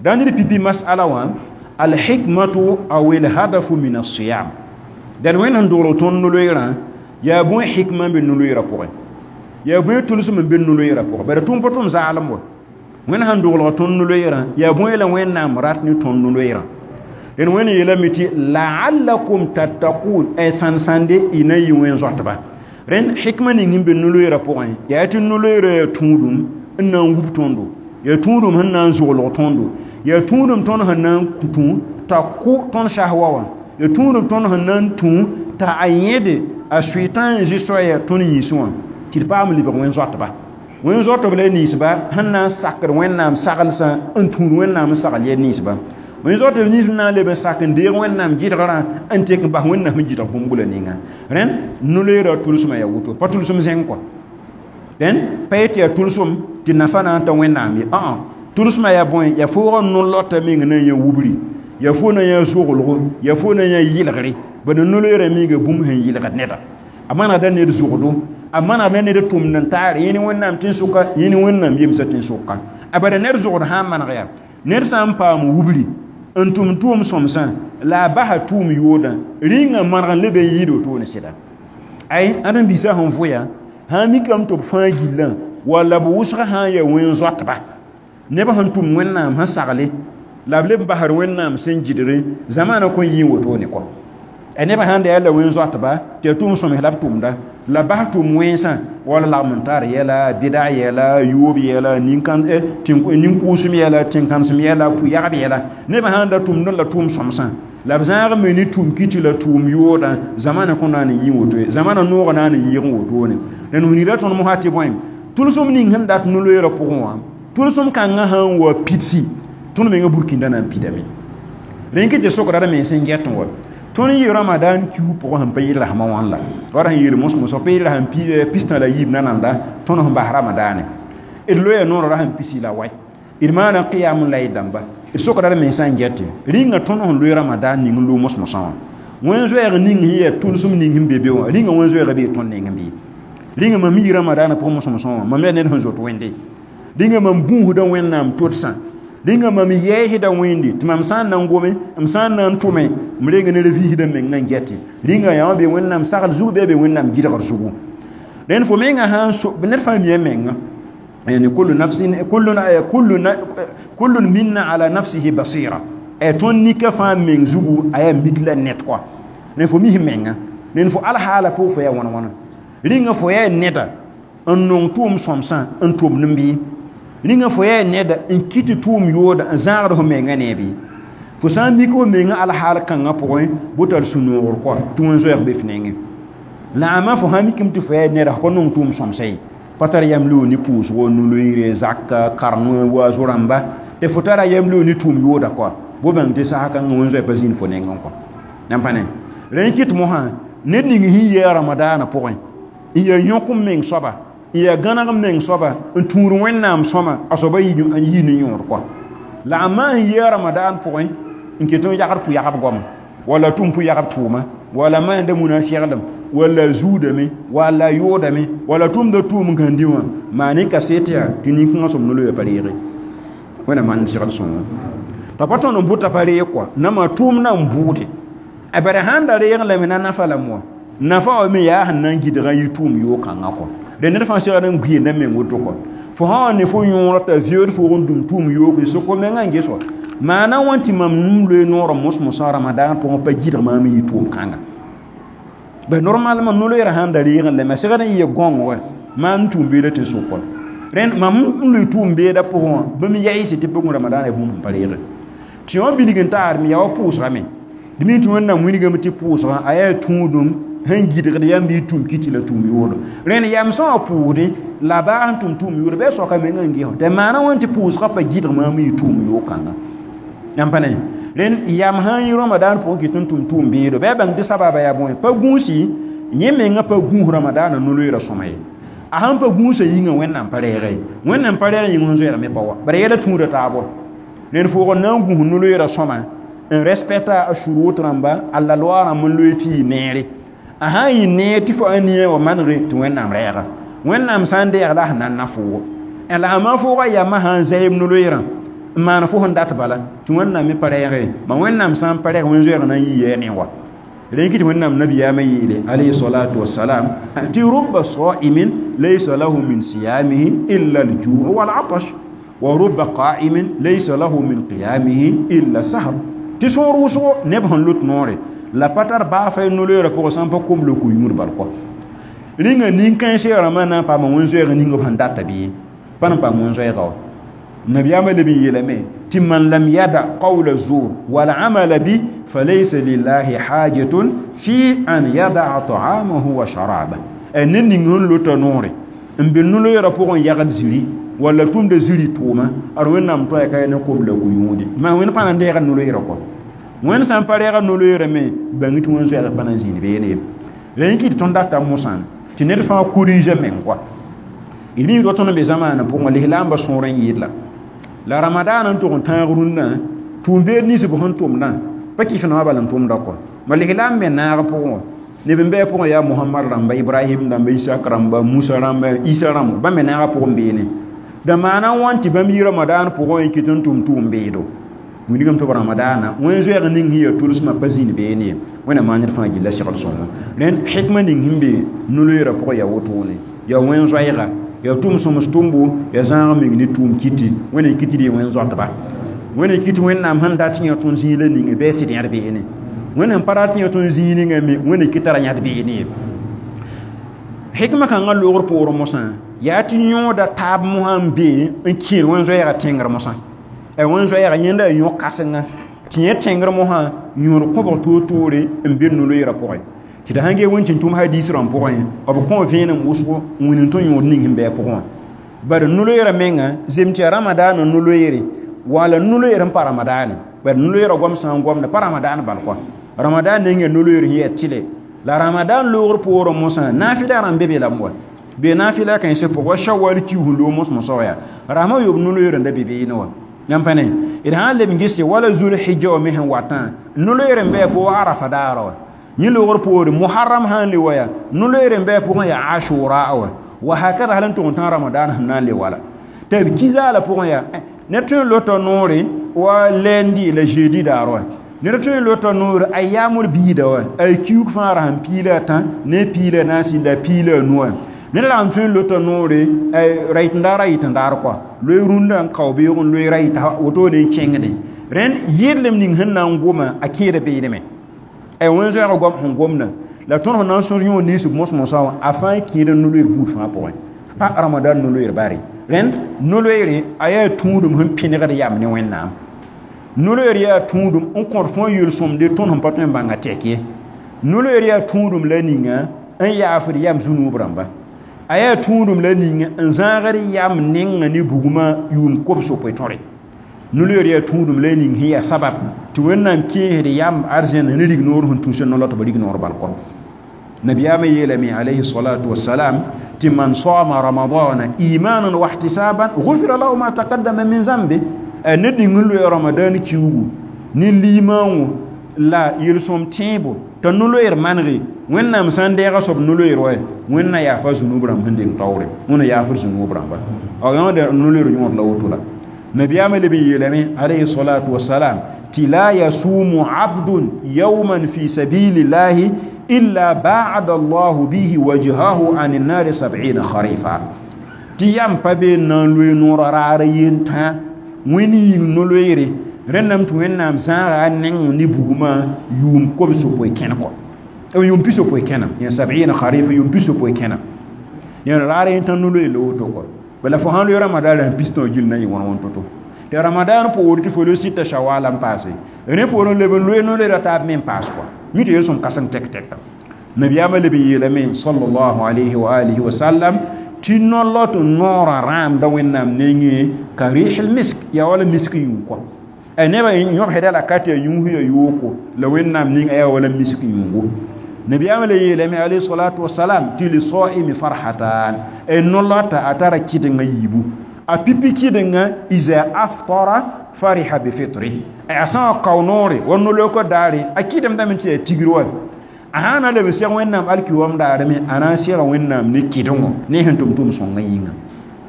dãn d pipi masala wã alhikmatu aw alhadafu min alsiyam dãn Wẽnd sẽn dogl tõnd no-loeerã yaa bõe hikma n be no-loeerã pʋgẽ yaa bõe tʋlsem n be no-loeerã pʋgẽ bara tʋm pa tʋm zaalem wa Wẽnd sẽn doglg tõnd no-loeerã yaa bõe la Wẽnnaam rat ne tõnd no-loeerã dẽn Wẽnd yeelame tɩ laallakum tattaqun ay sãn-sãnde y na n yɩ wẽn zoatba rẽnd hikma ning n be no-loeerã pʋgẽ yaa tɩ no-loeerã yaa tũudum n na n wub tõndo yaa tũudum sẽn na n zoglg tõndo yaa tũudum tõnd sẽn na n tũ t'a kʋ tõnd sahwa wã yaa tũudum tõnd sẽn na n tũ t'a a yẽde a sʋɩtã n zɩ soaya tõnd yĩnsẽ wã tɩ d paam lebg wẽn zoatba wẽn zoatb la ninsba sẽn na n sakd Wẽnnaam saglsã n tũud Wẽnnaam n sagl yɛl ninsba wẽn zoatb nins na n leb n sak n deeg Wẽnnaam gɩdgrã n tek n bas Wẽnnaam sẽn gɩdg bũmb la ninga rẽnd no-loeerã tʋlsmã yaa woto pa tʋlsem zẽng kɔa dẽn pa yet yaa tʋlsem tɩ nafa na n ta Wẽnnaam ye ã tʋlsmã yaa bõe yaa foogã no-lota meng na n yã wubri yaa fo na n yã zoglgo yaa fo na n yã yɩlgre bala no-loeerã miiga bũmb sẽn yɩlgd neda a manegda ned zogdo a manegda ned tʋmd n taar yẽ ne Wẽnnaam tẽn-sʋka yẽ ne Wẽnnaam yemsã tẽn-sʋka a bala ned zogd sã n maneg yaa ned sã n paam wubri n tʋm tʋʋm sõmsã la a basa tʋʋm yoodã rĩngã maneg n leb n yɩɩd wotone sɩda ay ãdem-biisã sẽn vʋya sã n mikame tɩ b fãa gillã walla b wʋsgã sã n yaa wẽn zoatba neb sẽn tʋm Wẽnnaam sẽn sagle la b leb n basd Wẽnnaam sẽn gɩdgẽ zamaana kõn yɩ n wotone kɔ a nebã sãn da yaa la wẽn zoatba tɩ yaa tʋʋm sõms la b tʋmda la bas tʋʋm wẽnsã wala lagm n tar yɛla bɩda yɛla yoob yɛla nin-kʋʋsem yɛla tẽn-kãnsem yɛla pʋ-yagb yɛla nebã sãn da tʋmdẽ la tʋʋm sõmsã la b zãag me ne tʋʋm kɩ tɩ la tʋʋm yoodã zamana kõn na n yɩ woto ye zamana noogã na n yɩɩg n wotone dẽnd wilgra tõnd mosã tɩ bõe tʋlsem ning sẽn dat no-loeerã pʋgẽ wã tʋlsem kãngã sã n wa pidsi tõnd mengã burkĩndã na n pidame rẽn kɩ tɩ sokra d mens n get n wa tõnd yɩ ramadan kiu pʋgẽ sẽn pa yɩl rasmã wãn la wala sẽn yeel mos-mosã pa yɩl rasem pistã la yiib nananda tõnd sẽn bas ramadaane d loya noorã rasem pisi la wai d maana qiyam la y dãmba d sokra d mensã n gete rĩnga tõnd sẽn loe ramadan ning n loog mos-mosã wã wẽn zoɛɛg ning sẽn yaa tʋlsem ning sẽn be be wã rĩnga wẽn zoɛɛga bee tõnd nengẽ bɩ rĩnga mam yi ramadaanã pʋgẽ mos-mosã wã mam yaa ned sẽn zoet wẽnde rĩnga mam gũusda Wẽnnaam todsã rĩnga mam yɛɛsda wẽnde tɩ mam sã n na n gome m sã n na n tʋme m renga ned vɩɩsdã mengã n gɛtɩ rĩnga yã wã be Wẽnnaam sagl zug bɩ a be Wẽnnaam gɩdgr zugu rẽnd fo mengã sã n so ned fãa mia menga Yani kullu nafsin kullu minna ala nafsihi basira e tõnd nika fãa meng zugu a yaa mik la ned kɔa ne fo mis menga ne fo alhaala pʋg fo yaa wãn wãna rĩnga fo yaa neda n nong tʋʋm sõmsã n tʋmd n bɩ rĩnga fo yaa neda n kɩt tʋʋm yooda n zãagd fo menga ne bɩ fo sã n mik fo menga alhaal kãngã pʋgẽ bʋ tar sũ-noogr kɔa tɩ wẽn-zoɛɛg be f nengẽ la ama fo sã mikame tɩ fo yaa neda fo pa nong tʋʋm sõmsã ye pa tar yam loog ne pʋʋsgo no-loeere zaka kareng waazo rãmba tɩ fo tara yam loog ne tʋʋm yooda kɔa bo bãng tɩ sasa kãngã wẽn-zoɛɛ pa zĩnd fo nengẽ kɔa nan pa ne rẽ kɩt mosã ned ning sẽn yɩ a ramadaanã pʋgẽ n yaa yõk n meng soaba n yaa gãneg n meng soaba n tũud wẽnnaam sõma a soaba yi ne yõod kɔa la a maan yɩ a ramadaan pʋgẽ n ket n yagd pʋ-yagb goama wala tʋm pʋ-yagb tʋʋma wala maanda munafiglem wala zuudame wala yoodame wala tʋmda tʋʋm gãndi wã maan y kaset yaa tɩ nin-kãngã sõm no-loya pa reege wẽnna maan segd sõngo t'a pa tõnd n bʋta pa reeg kɔa nama tʋʋmdã n bʋʋde a bara sãn da reeg lame na nafa lame wã nafa wa me yaa sẽn na n gɩdgã yɩ tʋʋm yoog-kãngã kɔ dẽ ned fãa segd n gʋɩ na meng woto kɔ fo sã wa ne fo yõora t'a veood foog n dũm tʋʋm yoog n soko mengã n ges wa maana wã tɩ mam n loe noorã mos-mosã ramadaan pʋgẽ pa gɩdg maam n yɩ tʋʋm-kãnga ba normalement no-loeerã sãn da reegẽ lame a segd n yɩ gõng wa maam n tʋʋm beeda tɩ n sʋk wa rẽnd mam n loe tʋʋm beeda pʋgẽ wã bãmb yaɩse tɩ pʋgẽ ramadaana bũmb sẽn pa reege tɩ wã bilg n taarme yaa wa pʋʋsgame d mi tɩ wẽnnaam wilgame tɩ pʋʋsgã a yaa tũudum sẽn gɩdgd yãmb yɩ tũum kiti la tũum yoodo rẽnd yam sã wã pʋʋsdẽ la baa sẽn tʋm tũum yoodo bɩ a soaka mengã n ges tɩ maana wãn tɩ pʋʋsgã pa gɩdg maam yɩ tũum yoog-kãnga yãmb pa ne rẽnd yam sã n yɩ ramadaan pʋgẽ kɩt n tʋm tʋʋm beedo bɩ a bãng tɩ sababa yaa bõe pa gũusi yẽ mengã pa gũus ramadaanã no-loeerã sõma ye a sãn pa gũusã yĩngã wẽnnaam pa reege wẽnnaam pa reeg yĩng wẽn-zoɛɛg me pa wa bara yɛla tũuda taabo rẽnd foog n na n gũus no-loeerã sõma n respecta a shurut rãmba a la loi rãmb n loe tɩ yɩ neere a sã n yɩ neer tɩ fo a nia wa manege tɩ wẽnnaam rɛɛga wẽnnaam sã n deeg la sẽn na n na foogo la a ma foogã yamã sã n zaɩb no-loeerã n maan fo sẽn dat bala tɩ wẽnnaam me pa rɛɛge ma wẽnnaam sã n pa rɛɛg wẽn-zoɛɛg na n yɩ yɛɛ ne wa rẽ kɩ tɩ wẽnnaam nabiyaamã yeele alayhi salatu wassalam tɩ rubba saimin laysa lahu min siyamihi illa aljuu walatash wa rubba qaimin laysa lahu min qiyamihi illa sahar tɩ sõor wʋsgo neb sẽn lot noore la pa tar baa fa no-loeerã pʋgẽ sã n pa kom la ko-yũud bal kɔ rĩnga nin-kãensã rãmbã na n paama wẽn-zoɛɛg ning b sẽn data bɩ pa n paam wẽn-zoɛɛga wa nabiyaamã leb n yeelame tɩ man lam yada qawla zur wal amala bi falaysa lillahi hajatun fi an yadaa taamahu wa sharaba ned ning sẽn lota noore n be no-loeerã pʋgẽ yagd ziri walla tʋmda ziri tʋʋma ad wẽnnaam toaya ka ne kom la ko-yũudi maa wẽnd pa na n deega no-loeerã kɔ wẽnd sã n pa reega no-loeerã me bãng tɩ wẽn-zoɛɛg pa na n zĩnd beene ye la yẽ kɩ tɩ tõnd data mosã tɩ ned fãa korɩɩsa meng kɔa d mi rot tõnd n be zamaanã pʋgẽ lislaambã sõor n yɩɩd la la ramadaana n tʋg n tãag rũnnã tʋʋm-beed nins b sẽn tʋmdã pa kɩs nao bala n tʋmda kɔ ma lislaam me naag pʋgẽ wã neb n bɩ pʋgẽ yaa mohamad rãmba ibrahim rãmba isak rãmba musa rãmba isa rãmba bãmb me naagã pʋgẽ beene da maana n wãn tɩ bãmb yɩ ramadaan pʋgẽ n kɩt n tʋm tʋʋm-beedo wilgame tɩ b ramadaana wẽn-zoɛɛg ning sẽn yaa tolsmã pa zĩnd beene ye wẽnnaam maan ned fãa gilla segl sõngo rẽnd hikma ning sẽn be no-loeerã pʋgẽ yaa wotone yaa wẽn-zoɛɛga yaa tʋm sõms tʋmbo yaa zãag meng ne tʋʋm kiti wẽnnaam kiti d wẽn-zoatba wẽnnaam kiti wẽnnaam sẽn dat yã tõnd zĩig la ninge bɩ a sɩd yãd beene wẽnnaam pa rat yã tõnd zĩig ninga me wẽnnaam kɩ tara yãd beene ye hikma kãngã loogr poorẽ mosã yaa tɩ yõoda taab mosã n be n kẽer wẽn-zoɛɛgã tẽngr mosã a wẽn-zoɛɛga yẽnda a yõ kãsenga tɩ yẽ tẽngr mosã yõod kõbg toor-toore n be no-loeerã pʋgẽ tɩ d sãn gee wẽn tɩ tʋm hadiis rãmb pʋgẽ b kõ vẽenem wʋsgo n wĩnd tõnd yõod ning sẽn bɩ a pʋgẽ wã bari no-loeerã menga zem tɩ yaa ramadaanã no-loeere wala no-loeer n pa ramadaane bari no-loeerã goam sã n goamda pa ramadaan bal kɔa ramadaan neng yaa no-loeer sẽn yaa tɩlɛ la ramadan loogr poorẽ mosã naafɩla rãmb be be lame wa be naafɩla kãensã pʋgẽ wa shawal kius n loog mos-mosã wa yaa rasmã yob no-loeer n da be beene wa yãmb pa ne d sã n leb n ges tɩ wala zulhijja wã me sẽn watã no-loeer n bɩ a pʋgẽ arafa daara wa yẽ loogr poore muharram sã n le wa yaa no-loeer n bɩ a pʋgẽ yaa ashura wa wa hakada hal n tʋg n tã ramadan sẽn na n le wala tɩ b ki-zaala pʋgẽ yaa ned tõe n lota noore wa lundi la jeudi daar wa ned tõe n lota noore a yaamd biida wa a kiuk fãa ra sẽn piila a tã ne piila a naas la piila a nu wã Ned la n tõe n lota noore ra yɩt n daar kɔa loe rũndã n kao beoog n loe ra yɩta wotone n kẽngde rẽnd yɩrlem ning sẽn na n goma a kẽeda beelme wẽn-zoɛɛgã goam sẽn gomdã la tõnd sẽn na n sõs yõod nins b mos-mosã wã a fãa kẽeda no-loeer buud fãa pʋgẽ pa ramadan no-loeer bare rẽnd no-loeere a yaa tũudum sẽn pẽnegd yam ne Wẽnnaam no-loeer yaa tũudum n kõt fõ yel-sõmde tõnd sẽn pa tõe n bãnga tɛk ye no-loeer yaa tũudum la ninga n yaafd yam zũnuub rãmba a yaa tũudum la ninga n zãagd yam nenga ne bugmã yʋʋm kobs-yopoe tõre no-loeer yaa tũudum la ning sẽn yaa sabab tɩ Wẽnnaam kẽesd yam arzẽn ne rignoor sẽn tũus no-loa tɩ b rignoor bal kɔ nabiyaamã yeelame alayhi salatu wasalam tɩ man saama ramadana imanan wa ihtisaban gufira lahu ma taqaddama min zambe ned ning n loe ramadan kiugu ne liimãngõ la yel-sõm tẽebo t'a no-loeer manege Wẽnnaam sã n deega soab no-loeer wa Wẽnna yaafa zũnub rãmb sẽn deng taoore Wẽnna yaafd zũnub rãmba a yõoda no-loeer yõod la woto la nabiyaamã leb n yeelame alayhi salatu wasalam tɩ la yasumu abdun yawman fi sabilillahi illa baada allahu bihi wajhahu an النار 70 kharifa tɩ yam pa be n na n loe noor raar yentã wẽnd yĩng no-loeere rẽndame tɩ Wẽnnaam zãaga a neng ne bugmã yʋʋm kobs-yopoe kẽn kɔ yʋʋm pisopoe kẽna yẽ sabɩɩn kharifa yʋʋm pisopoe kẽna yẽ raar yentã no-loeer la woto kɔ bala fo sãn loe ramadan la pistõ gill na yɩ wãn wãn to-to tɩ ramadan poor tɩ fo loe sɩta shawala n paase rẽ poorẽ leb n loe no-loeera taab me n paas kɔ mi tɩ yel-sõm kãseng tɛk tɛka nabiyaamã leb n yeelame sallallahu alayhi wa alihi wa sallam tɩ no-lot noorã rãamda Wẽnnaam nengẽ ka rɩsl misk yaa wala misk yũu kɔ nebã yõbsda la ka tɩ ya yũus ya yooko la Wẽnnaam ninga yaa wala misk yũugo nabiyaamã le yeelame alayhi salatu wasalam tɩ lisaimi farhatan no-lota a tara kɩdengã yiibu a pipi kɩdengã iza aftara fariha bifitri a sã n kao noore wa no-lookã daare a kɩdemdame tɩ yaa tigr wa a sã na leb n seg Wẽnnaam alkiwam daarame a na n sega Wẽnnaam ne kɩdengo ne sẽn tʋm tʋm sõngã yĩnga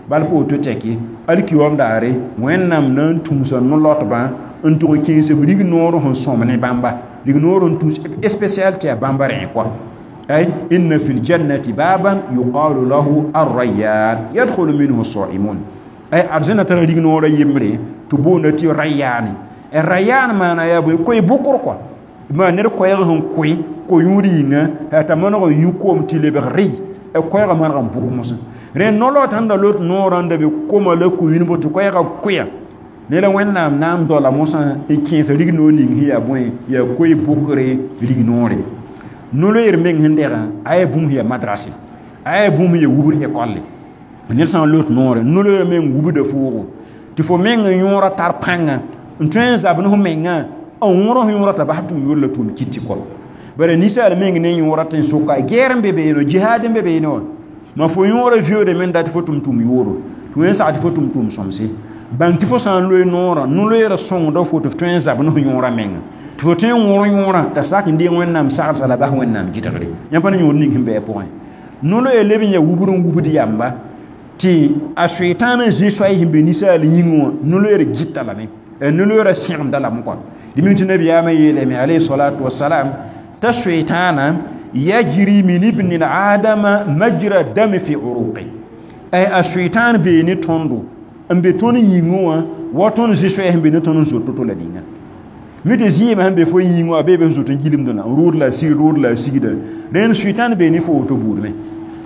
bal pa woto tɛke alkiwam daare Wẽnnaam na n tũusa no-lotbã n tʋg n kẽes b rignoor sẽn sõm ne bãmba rignoor n tũus spécial tɩ yaa bãmba rẽ kɔa ay inna fi ljannati baban yuqalu lahu arrayyan yadkhulu minhu as-saimun ay arzẽna tara rignoora yembre tɩ boonda tɩ rayaane rayan maana yaa bõe koe bʋkr kɔa ma ned koɛɛg sẽn koe ko-yũud yĩnga t'a maneg n yũ koom tɩ lebg rɩ koɛɛgã maneg n bʋk mosẽ rẽ no-laot sẽn da lot noorã n da be koma la ko-yũudbã tɩ koɛɛgã koɛa ne la Wẽnnaam na n doala mosã n kẽes rignoor ning sẽn yaa bõe yaa koe bʋkre rignoore no-loeer meng sẽn degã a yaa bũmb sẽn yaa madrase a yaa bũmb sẽn yaa wubr ekolle ned sã n lot noore no-loeer meng wubda foogo tɩ fo meng n yõora tar pãnga n tõe n zab ne fo mengã n wõr f yõora t'a bas tʋʋm yor la tʋʋm kɩt tɩ kɔ bara ninsaal meng ne yõora tɩ n soka gɛɛr n be beene jihaad n be beene wã ma fo yõora viode men dat tɩ fo tʋm tʋm yooro tɩ wẽn sag tɩ fo tʋm tʋm sõmse bãng tɩ fo sã n loe noorã no-loeerã sõngda fo tɩ f tõe n zab ne fo yõora menga tɩ fo tõe n wõr yõorã t'a sak n deeng Wẽnnaam sagsa la bas Wẽnnaam gɩdgre yãmb pa ne yõod ning sẽn bɩ a pʋgẽ no-loeer leb n yaa wubr n wubd yamba tɩ a soetãanã zĩ soay sẽn be ninsaal yĩngẽ wã no-loeer gɩta lame no-loeerã sẽgemda lame kɔa dẽ mi tɩ nabiyaamã yeelame alayhi salatu wasalam t'a soetãana yajri min ibni adama majra dami fi uruqi a soetãan bee ne tõndo n be tõnd yĩngẽ wã wa tõnd zĩ soɛɛ sẽn be ne tõnd n zot to-to la ninga mi tɩ zɩɩmã sẽn be fo yĩngẽ wã bee be sẽn zot n gilmdã n rʋʋd la sig rʋʋd la sigda rẽnd soetãan bee ne fo woto buud me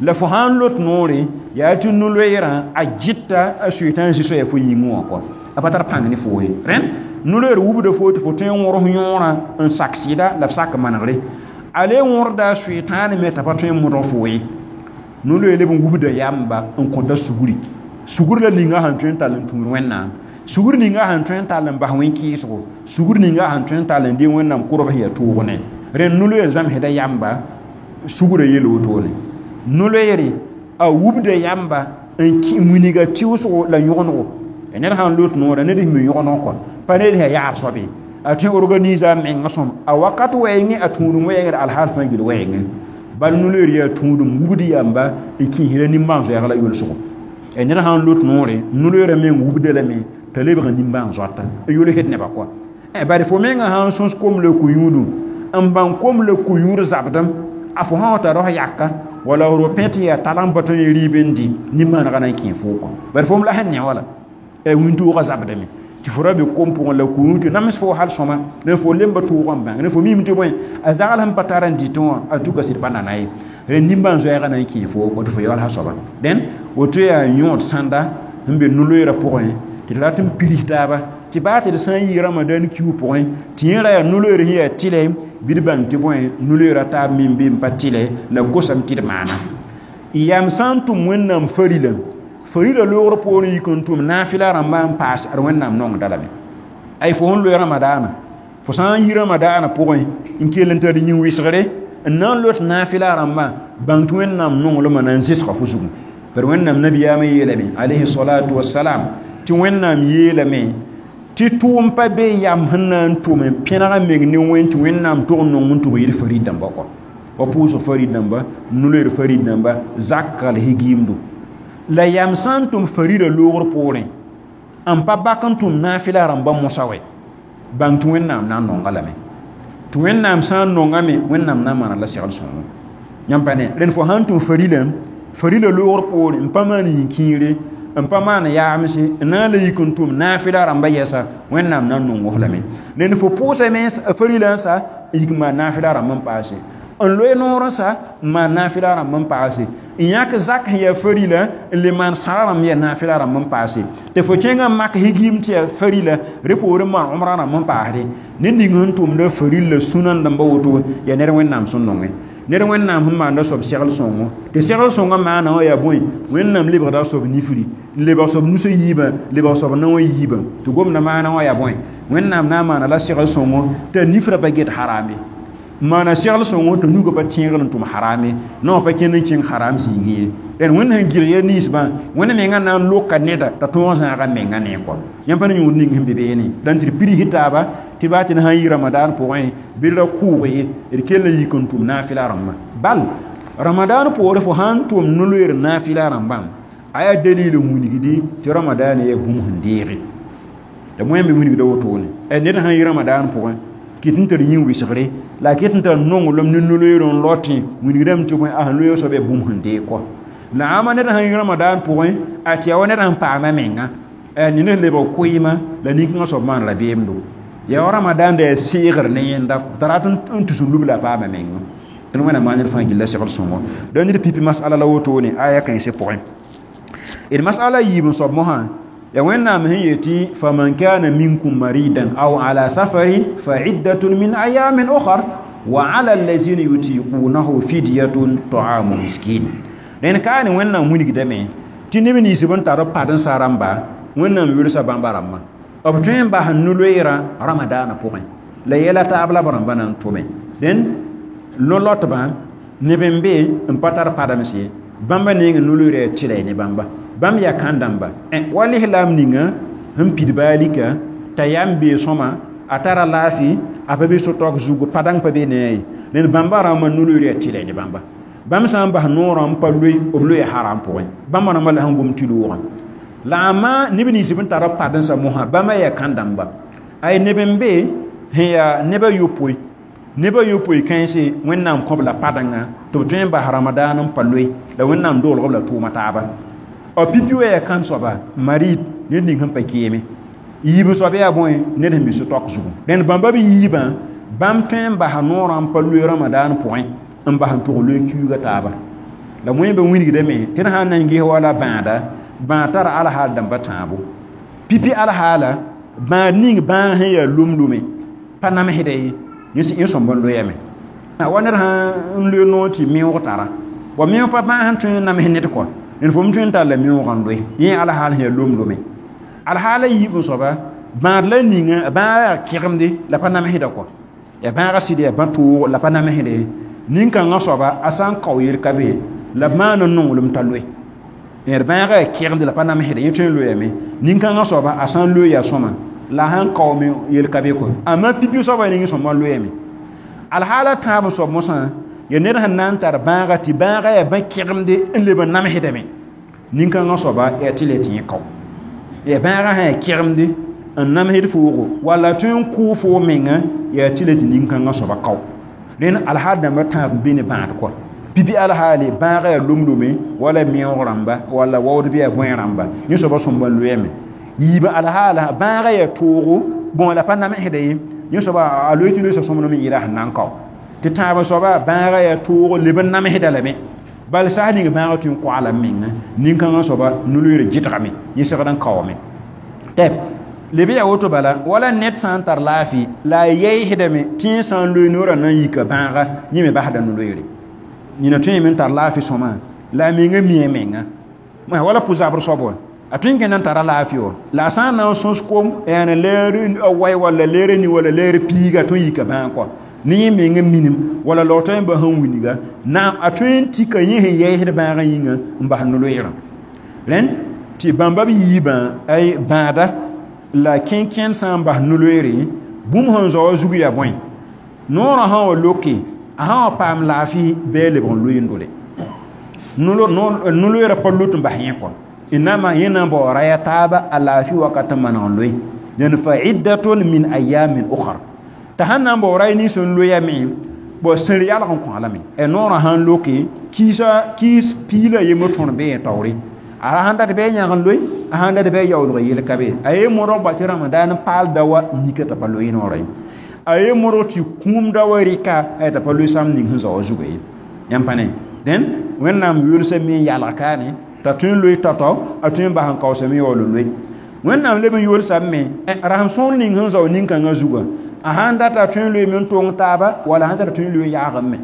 la fo sã n lot noore yaa tɩ no-loeerã a gɩta a soetãn zĩ soɛɛ fo yĩngẽ wã kɔ a pa tar pãng ne foo ye rẽnd no-loeer wubda fo tɩ fo tõe n wõrs yõorã n sak sɩda la b sak manegre a le wõrda a soetãan me t'a pa tõe n modg fo ye no-loeer leb n wubda yamba n kõta sugri sugr la ninga sẽn tõe n tall n tũud Wẽnnaam sugr ninga sẽn tõe n tall n bas wẽn-kɩɩsgo sugr ninga sẽn tõe n tall n dee Wẽnnaam kʋrb sẽn yaa toog ne rẽnd no-loeer zãmsda yamba sugrã yel wotone no-loeere a wubda yamba n wilga tɩʋsgo la yõgenego ned sãn lot noorã ned sẽn mi yõgeneg kɔ pa ned sẽn yaab soabe a tõe organise a mengã sõm a wakat wɛɛngẽ a tũudum wɛɛngd alhaal fãa gil wɛɛngẽ bal no-loeer yaa tũudum wubd yamba n kĩisda nimbãan-zoɛɛg la yolsgo ned sãn lot noore no-loeerã meng wubda lame t'a lebg nimbãan-zoata n yolsd nebã kɔa bari fo mengã sãn sõs kom la ko-yũudu n bãng kom la ko-yũud zabdem a fo sã wa tara f yaka Wala ro pẽ tɩ yaa talg n pa tõe n rɩɩb n dɩ nin-maanegã na n kẽ foo kɔ bari fo m la sẽn ne wala wĩntoogã zabdame tɩ fo ra be kom pʋgẽ la kũum tɩ nams fo hal sõma ne fo lemba tʋʋgã n bãng ne fo miime tɩ bõe a zagl sẽn pa tar n dɩtẽ wã en tout cas sɩd pa nana ye rẽ nimbãan-zoɛɛgã na n kẽ fo kɔ tɩ fo yaool soaba dẽn woto yaa yõod sãnda sẽn be no-loeerã pʋgẽ tɩ d rat n pirs taaba tɩ baa tɩ d sã n yɩ ramadan kiu pʋgẽ tɩ yẽ ra yaa no-loeer sẽn yaa tɩlɛ bɩ d bãng tɩ bõe no-loeerã taab me n be n pa tɩlɛ la kosame tɩ d maana yam sã n tʋm wẽnnaam farila farila loogr poorẽ yik n tʋm naafɩla rãmbã n paas ad wẽnnaam nongda lame ay fo sẽn loe ramadaana fo sã n yi ramadaana pʋgẽ n kell n tar yĩn-wɩsgre n na n lot naafɩla rãmbã bãng tɩ wẽnnaam nonglmã na n zɩsga fo zugu par wẽnnaam nabiyaamã yeelame alayhi salatu wasalam tɩ wẽnnaam yeelame tɩ tʋʋm pa be yam sẽn na n tʋm n pẽneg meng ne wẽn tɩ wẽnnaam tʋg n nong n tʋg yɩl farid dãmba kɔ wa pʋʋsg farid dãmba no-loeer farid dãmba zakka la higiimdo la yam sã n tʋm farida loogr poorẽ n pa bak n tʋm naafɩla rãmba mosa wɛ bãng tɩ wẽnnaam na n nonga lame tɩ wẽnnaam sã n nongame wẽnnaam na n maana la segl sõngo yãmb pa ne rẽnd fo sã n tʋm farila farila loogr poorẽ n pa maan yĩn-kĩire n pa maan yaamse n na n la yik n tʋm naafɩla rãmba yɛsa wẽnnaam na n nong f lame rẽnd fo pʋʋsame farila n sa n yik n maan naafɩla rãmb n paase n loe noor n sa n maan naafɩla rãmb n paase n yãk zak sẽn yaa farila n le maan sãra rãmb yaa naafɩla rãmb n paase tɩ fo kẽngã n mak higiim tɩ yaa farila rẽ poorẽ maan omrã rãmb n paasde ned ning sẽn tʋmda farila sũnã dãmba woto yaa ned wẽnnaam sẽn nongẽ ned wẽnnaam sẽn maanda soab segl sõngo tɩ segl sõngã maana wã yaa bõe wẽnnaam lebgda a soab nifri n lebg soab nusã yiibã lebg soab naowã yiibã tɩ gomda maana wã yaa bõe wẽnnaam na n maana la segl sõngo t'a nifrã pa get harame maana segl sõngo tɩ nugã pa tẽegr n tʋm harame naowã pa kẽnd n kẽng haram zĩigẽ ye rẽnd wẽnd sẽn gɩlg ya ninsbã wẽnd mengã na n loka neda t'a tõog zãaga menga ne kɔ yãmb pa ne yõod ning sẽn be beene dãn tɩ d pirs taaba tɩ baa tɩ d sã n yɩ ramadan pʋgẽ bɩ d ra kʋʋg ye d kell n yik n tʋm naafɩla rãmbã bal ramadan poore fo sã n tʋm no-loeer naafɩla rãmbã a yaa dalil n wilgdi tɩ ramadan yaa bũmb sẽn deege la wẽn me wilgda wotone ned sã n yɩ ramadan pʋgẽ kɩt n tar yĩn-wɩsgre la a kɩt n tar nonglem ne no-loeer n lotẽ wilgdame tɩ bõe a sẽn loeeg soab yaa bũmb sẽn deeg kɔ la ãma ned sã n yɩ ramadan pʋgẽ a tɩ yaa wa ned sẽn paama menga ned sẽn lebg koɩɩmã la nin-kãngã soab maan rabeemdo yaa wa ramadan da yaa seegr ne yẽnda t'a rat n tus n lub la a paama menga tɩ wẽnnaam maan ned fãa gilla segl sõngo da ned pipi masala la wotone aya kãensẽ pʋgẽ d masala yiib n soab mosã ya wẽnnaam sẽn yetɩ faman kana minkum maridan aw ala safarin fa iddatun min ayamin ukhar wa ala allazina yutiqunahu fidyatun ta'amu miskin rẽnd kaa ne wẽnnaam wilgdame tɩ neb nins b n tar b pad n sa rãmba wẽnnaam yʋlsa bãmba rãmbã b tõe n bas no-loeerã ramadaanã pʋgẽ la yɛla taab la b rãmbã na n tʋme dẽn no-lotbã neb n be n pa tar padams ye bãmba neng no-loeerã yaa tɩla ne bãmba bãmb yaa kãn-dãmba wa lislaam ninga sẽn pid baalika t'a yam bee sõma a tara laafɩ a pa be so-taoog zugu padãng pa be ne a ye rẽnd bãmba rãmbã no-loeer yaa tɩla ne bãmba bãmb sã n bas noorã n pa loe b loeya haram pʋgẽ bãmba rãmbã la sẽn gom tɩ loogã la ãma neb nins b n tar b pad n sa mosã bãmba yaa kãn-dãmba ay neb n be sẽn yaa neb a yopoe neb a yopoe kãense wẽnnaam kõ-b la padẽngã tɩ b tõe n bas ramadaan n pa loe la wẽnnaam doolg b la tʋʋma taaba b pipi wa yaa kãn soaba marid ned ning sẽn pa keeme yiib soab yaa bõe ned sẽn be so-taok zugu rẽnd bãmba b yiibã bãmb tõe n basa noorã n pa loe ramadaan pʋgẽ n bas n tʋg loe kiuugã taaba la wẽn be wilgdame tɩ d sã n na n ges wala bãada bãad tara alhaal dãmba tãabo pipi alhaala bãad ning bãag sẽn yaa lom-lome pa namsda ye yẽ sõmb n loyame wa ned sã n loe noor tɩ meoog tara wa meoog pa bãag sẽn tõe n nams ned kɔ ned fo m tõe n tall la meoogã n loe yẽ alhaal sẽn yaa lom-lome alhaala yiib n soaba bãad la ninga bãag yaa kẽgemde la pa namsda kɔ yaa bãagã sɩd yaa bã-toog la pa namsde nin-kãngã soaba a sã n kao yel ka be la b maan n nonglem t'a loe d bãagã yaa kẽgemde la pa namsde yẽ tõe n loyame nin-kãngã soaba a sã n loe yaa sõma la a sãn kaoome yel ka be kɔ amma pipi soaba ning sõma loyame alhaala tãab n soab mosã yaa ned sẽn na n tar bãaga tɩ bãaga yaa bã-kẽgemde n leb n namsdame nin-kãngã soaba yaa tɩ le tɩ yẽ kao yaa bãagã sã yaa kẽgemde n namsd foogo walla tõe n kʋʋ foo menga yaa tɩ le tɩ nin-kãngã soaba kao rẽnd alhaal dãmbã tãab n be ne bãad kɔ Pipi alhaali bãaga yaa lomlome wala meoog rãmba wala waood bɩ yaa bõe rãmba yẽ soaba sõmba n loeeme yiibã alhaala bãaga yaa toogo bõe la pa namsda ye yẽ soaba a loe tɩ loeesa sõmblem n yɩɩda sẽn na n kao tɩ tãab soaba bãaga yaa toogo leb n namsda lame bal sas ning bãaga tõe n koala m menga nin-kãngã soaba no-loeer gɩdgame yẽ segd n kaoome tɛp leb yaa woto bala wala ned sã n tar laafɩ la a yɛɛsdame tɩ yẽ sã n loe noorã na n yika bãaga yẽ me basda no-loeere nina tõe me n tar laafɩ sõma la a menga mi a menga wala pʋ-zabr soab wa a tõe n kẽnd n tara laafɩ wa la a sã n na n sõs kom yaa leer a wai walla leer ni walla leer piiga tõe n yika bãag kɔa ne yẽ menga minim walla laootã yẽmba sẽn wilga naam a tõe n tika yẽ sẽn yɛɛsd bãagã yĩnga n bas no-loeerã rẽnd tɩ bãmba b yiibã ay bãada la kẽn-kẽnd sã n bas no-loeere bũmb sẽn zao a zug yaa bõe noorã sã wa loke a sã wa paam laafɩ bɩ a lebg n loe n dole no-loeerã pa lot n bas yẽ kɔ inama yẽ na n bao raya taaba a laafɩ wakat n maneg n loe dẽn fa iddatun min ayamin ukhar t'a sãn na n bao ray nins n loeame bo sẽr yalg n kõ lame noorã sãn loke kiis piila yembr tõr bee taoore a sãn dat bɩ a yãg n loe a sãn dat bɩ a yaoolg yel ka be a ye modg ba tɩ ramadan paal da wa mika t'a pa loe noorã ye a ye modg tɩ kũum da wa rɩka t'a pa loe sam ning sẽn zao a zuga ye yãmb pa ne dẽn wẽnnaam yolsame n yalg kaane t'a tõe n loe tao-tao a tõe n bas n kaoosame yaool n loe wẽnnaam leb n yolsame rasem sõor ning sẽn zao nin-kãngã zugã a sãn data a tõe n loeeme n tong taaba wala sãn tara tõe n loe yaagem me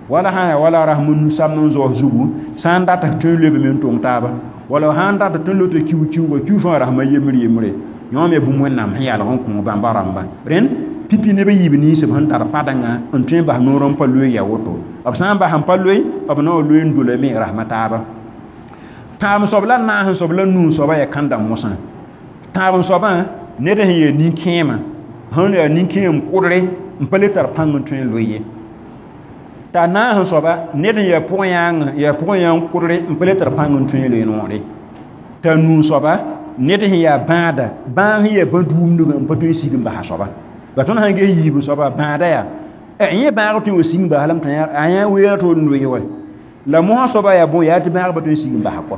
wala sã yaa wala rasem n nu-samd n zaoos zugu sã n data tõe n loebe n tong taaba wala sãn data tõe n loeta kiu-kiuga kiu fãa rasma yembre yembre yõ me bũmb wẽnnaam sẽn yalg n kõ bãmba rãmba rẽnd pipi neb n yiib nins b sẽn tar padengã n tõe n bas noor n pa loe yaa woto b sã n bas n pa loe b na wa loe n dolame rasma taaba tãab soab la naas n soab la nuu soaba yaa kãndã mosã tãab soabã ned sẽn yaa nin-kẽemã sẽn yaa nin-kẽem kʋdre n pa le tar pãng n tõe n loe ye t'a naas n soaba ned n yaa pʋgẽ yãng kʋdre n pa le tar pãng n tõe n loe noore t'a nuu soaba ned sẽn yaa bãada bãag sẽn yaa bã-duumdgã n pa tõe n sig n basa soaba ba tõnd sãn ges yiib soaba bãada yaa yẽ bãag tõe n wa sig n bas lame t'a a yã weera tɩ n loe wa la mosã soaba yaa bõe yaa tɩ bãag pa tõe n sig n basa kɔ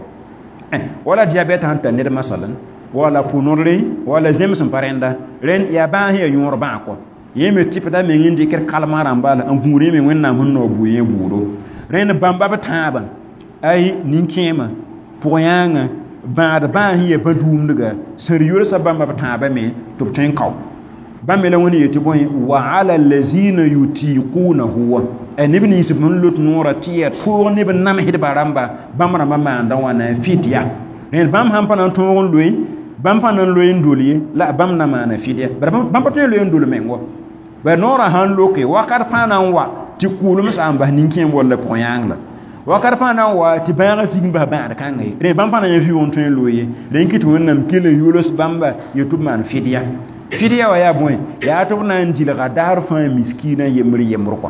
wala diabɛt sãn tar ned masalan wala pʋ-nodre wala zems n pa rẽnda rẽnd yaa bãag sẽn yaa yõor bãag kɔ yẽ me tɩpda meng n dɩkd kalmã rãmba la n gũud yẽ me wẽnnaam sẽn nao bʋ yẽ buudo rẽnd bãmba b tãabã ay nin-kẽemã pʋg-yãangã bãad bãag sẽn yaa bã-duumdga sẽn yolsa bãmba b tãabã me tɩ b tõe n kao bãmb me la wẽnd yetɩ bõe wa ala lazina yutiqunahu wa neb nins b sẽn lot noorã tɩ yaa toog neb n namsdba rãmba bãmb rãmbã maanda wãna fidya rẽnd bãmb sãn pa na n tõog n loe bãmb pa na n loe n dol ye la bãmb na maana fidya bara bãmb pa tõe n loe n dol meng wa ba noorã sãn loke wakat pãa na n wa tɩ kʋʋlem sã n bas nin-kẽem walla pʋg-yãang la wakat pãa na n wa tɩ bãagã sig n bas bãad kãnga ye rẽ bãmb pa na yã vɩʋʋg n tõe n loe ye rẽ kɩ tɩ wẽnnaam kell n yols bãmba yetɩ b maan fidya fidya wa yaa bõe yaa tɩ b na n dɩlga daar fãa miskiinã yembr yembr kɔ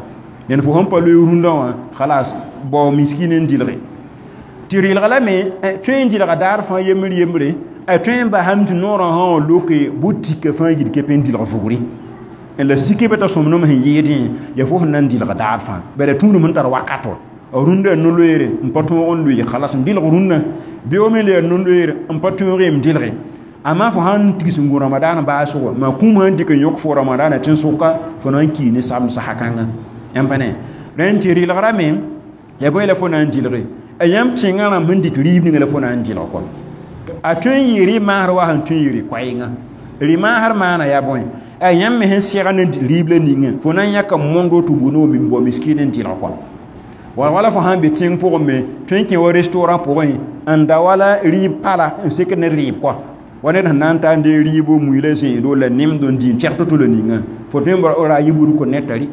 dẽn fo sẽn pa loe rũndã wã khalas bao miskin n dɩlge tɩ rɩlga lame tõe n dɩlga daar fãa yembr yembre a tõe n basame tɩ noorã sã wã loke bʋ-tika fãa yil kepe n dɩlg vugri la sike bɩ t'a sõmblem sẽn yɩɩdẽ yaa fo sẽn na n dɩlg daar fãa bala tũudum sẽn tar wakato a rũndã no-loeere n pa tõog n loe khalas n dɩlg rũndã beoog me le yaa no-loeere n pa tõog n dɩlge amma fo sãn tigs n gũ ramadaan baasgo maa kũum sãn dɩk n yõk fo ramadaana tẽn-sʋka fo na n kii ne sabem sasa kãngã yãmb pa ne rẽnd tɩ rɩlgrame yaa bõe la fo na n dɩlge a yãmb tẽngã rãmb sẽn dɩt rɩɩb ninga la fo na n dɩlg kɔ a tõe n yɩ rɩ-maasr wa sẽn tõe n yɩ rɩ-koɛɛngã rɩ-maasr maana yaa bõe a yãmb me sẽn sɛgd ne rɩɩb la ninga fo na n yãka mondo tɩ bu no min bao miskin n dɩlg kɔ wala fo sãn be tẽng pʋgẽ me tõe n kẽ wa restaurant pʋgẽ n da wala rɩɩb pala n sek ne rɩɩb kɔ wa ned sẽn na n ta n dee rɩɩbo mui la zẽedo la nemdo n dɩ n tɛg to-to la ninga fo tõe n ra yɩ burk ne tari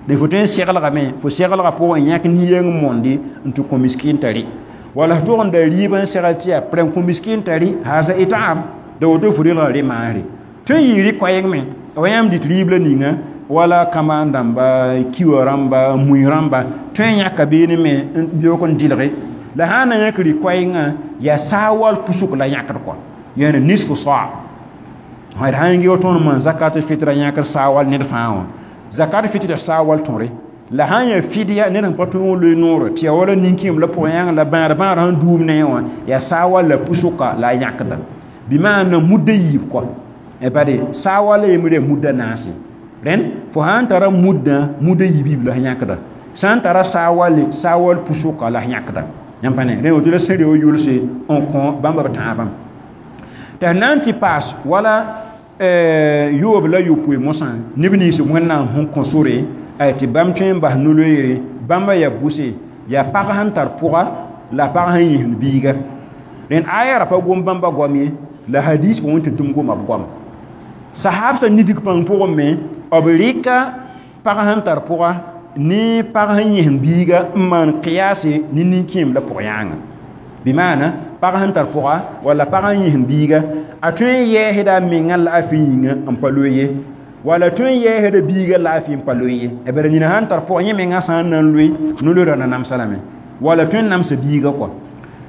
de fo tõe n seglgame fo seglga pʋgẽ yãk nin-yeng monde n tɩ kõ miskin tari wala f tʋg n da rɩɩb n segl tɩ yaa prẽ kõ miskin tari haasa itaam da woto fo rɩlga rɩ-maasre tõe n yɩ rɩ-koɛɛg me wa yãmb dɩt rɩɩb la ninga wala kamaan dãmba kiwa rãmba mui rãmba tõe n yãka beene me n beoog n dɩlge la sã n na yãk rɩ-koɛɛngã yaa saawal pusuk la yãkd kɔ yãne nisfu saa d sã n gɩ tõnd maan zakat fitra yãkr saawal ned fãa wã zakat fitra saawal tõre La sã n yaa fidya ned sẽn pa tõe n loe noore tɩ yaa wala nin-kẽem la pʋg-yãng la bãad bãad sẽn duum ne wã yaa saa wall la pusoka la a yãkda bɩ maana mudda yiib kɔ bade saa wall yembre yaa mudda naase rẽnd fo sã n tara mudã mudda yiib la sẽn yãkda sã n tara saa walle saa wall pusoka la sẽn yãkda yãmb pa ne rẽ woto la sẽn reo yʋlse n kõ bãmb b tãabã tɩ na n tɩ paas wala yoob la yopoe mosã neb nins wẽnnaam sẽn kõ sore tɩ bãmb tõe n bas no-loeere bãmba yaa bʋse yaa pag sẽn tar pʋga la pag sẽn yĩsd biiga rẽnd aya ra pa gom bãmba goam ye la hadis pʋgẽ tɩ tʋm goma b goama sahab sã nidg pãng pʋgẽ me b rɩka pag sẽn tar pʋga ne pag sẽn yẽsem biiga n maan qiyase ne nin-kẽem la pʋg-yãanga bɩ maana pag sẽn tar pʋga walla pag sẽn yẽsem biiga a tõe n yɛɛsda a menga laafɩ yĩnga n pa loe ye walla tõe n yɛɛsda biiga laafɩ n pa loe ye bara nina sãn tar pʋga yẽ menga sã n na n loe no-loeera na namsa lame walla tõe n namsa biiga kɔa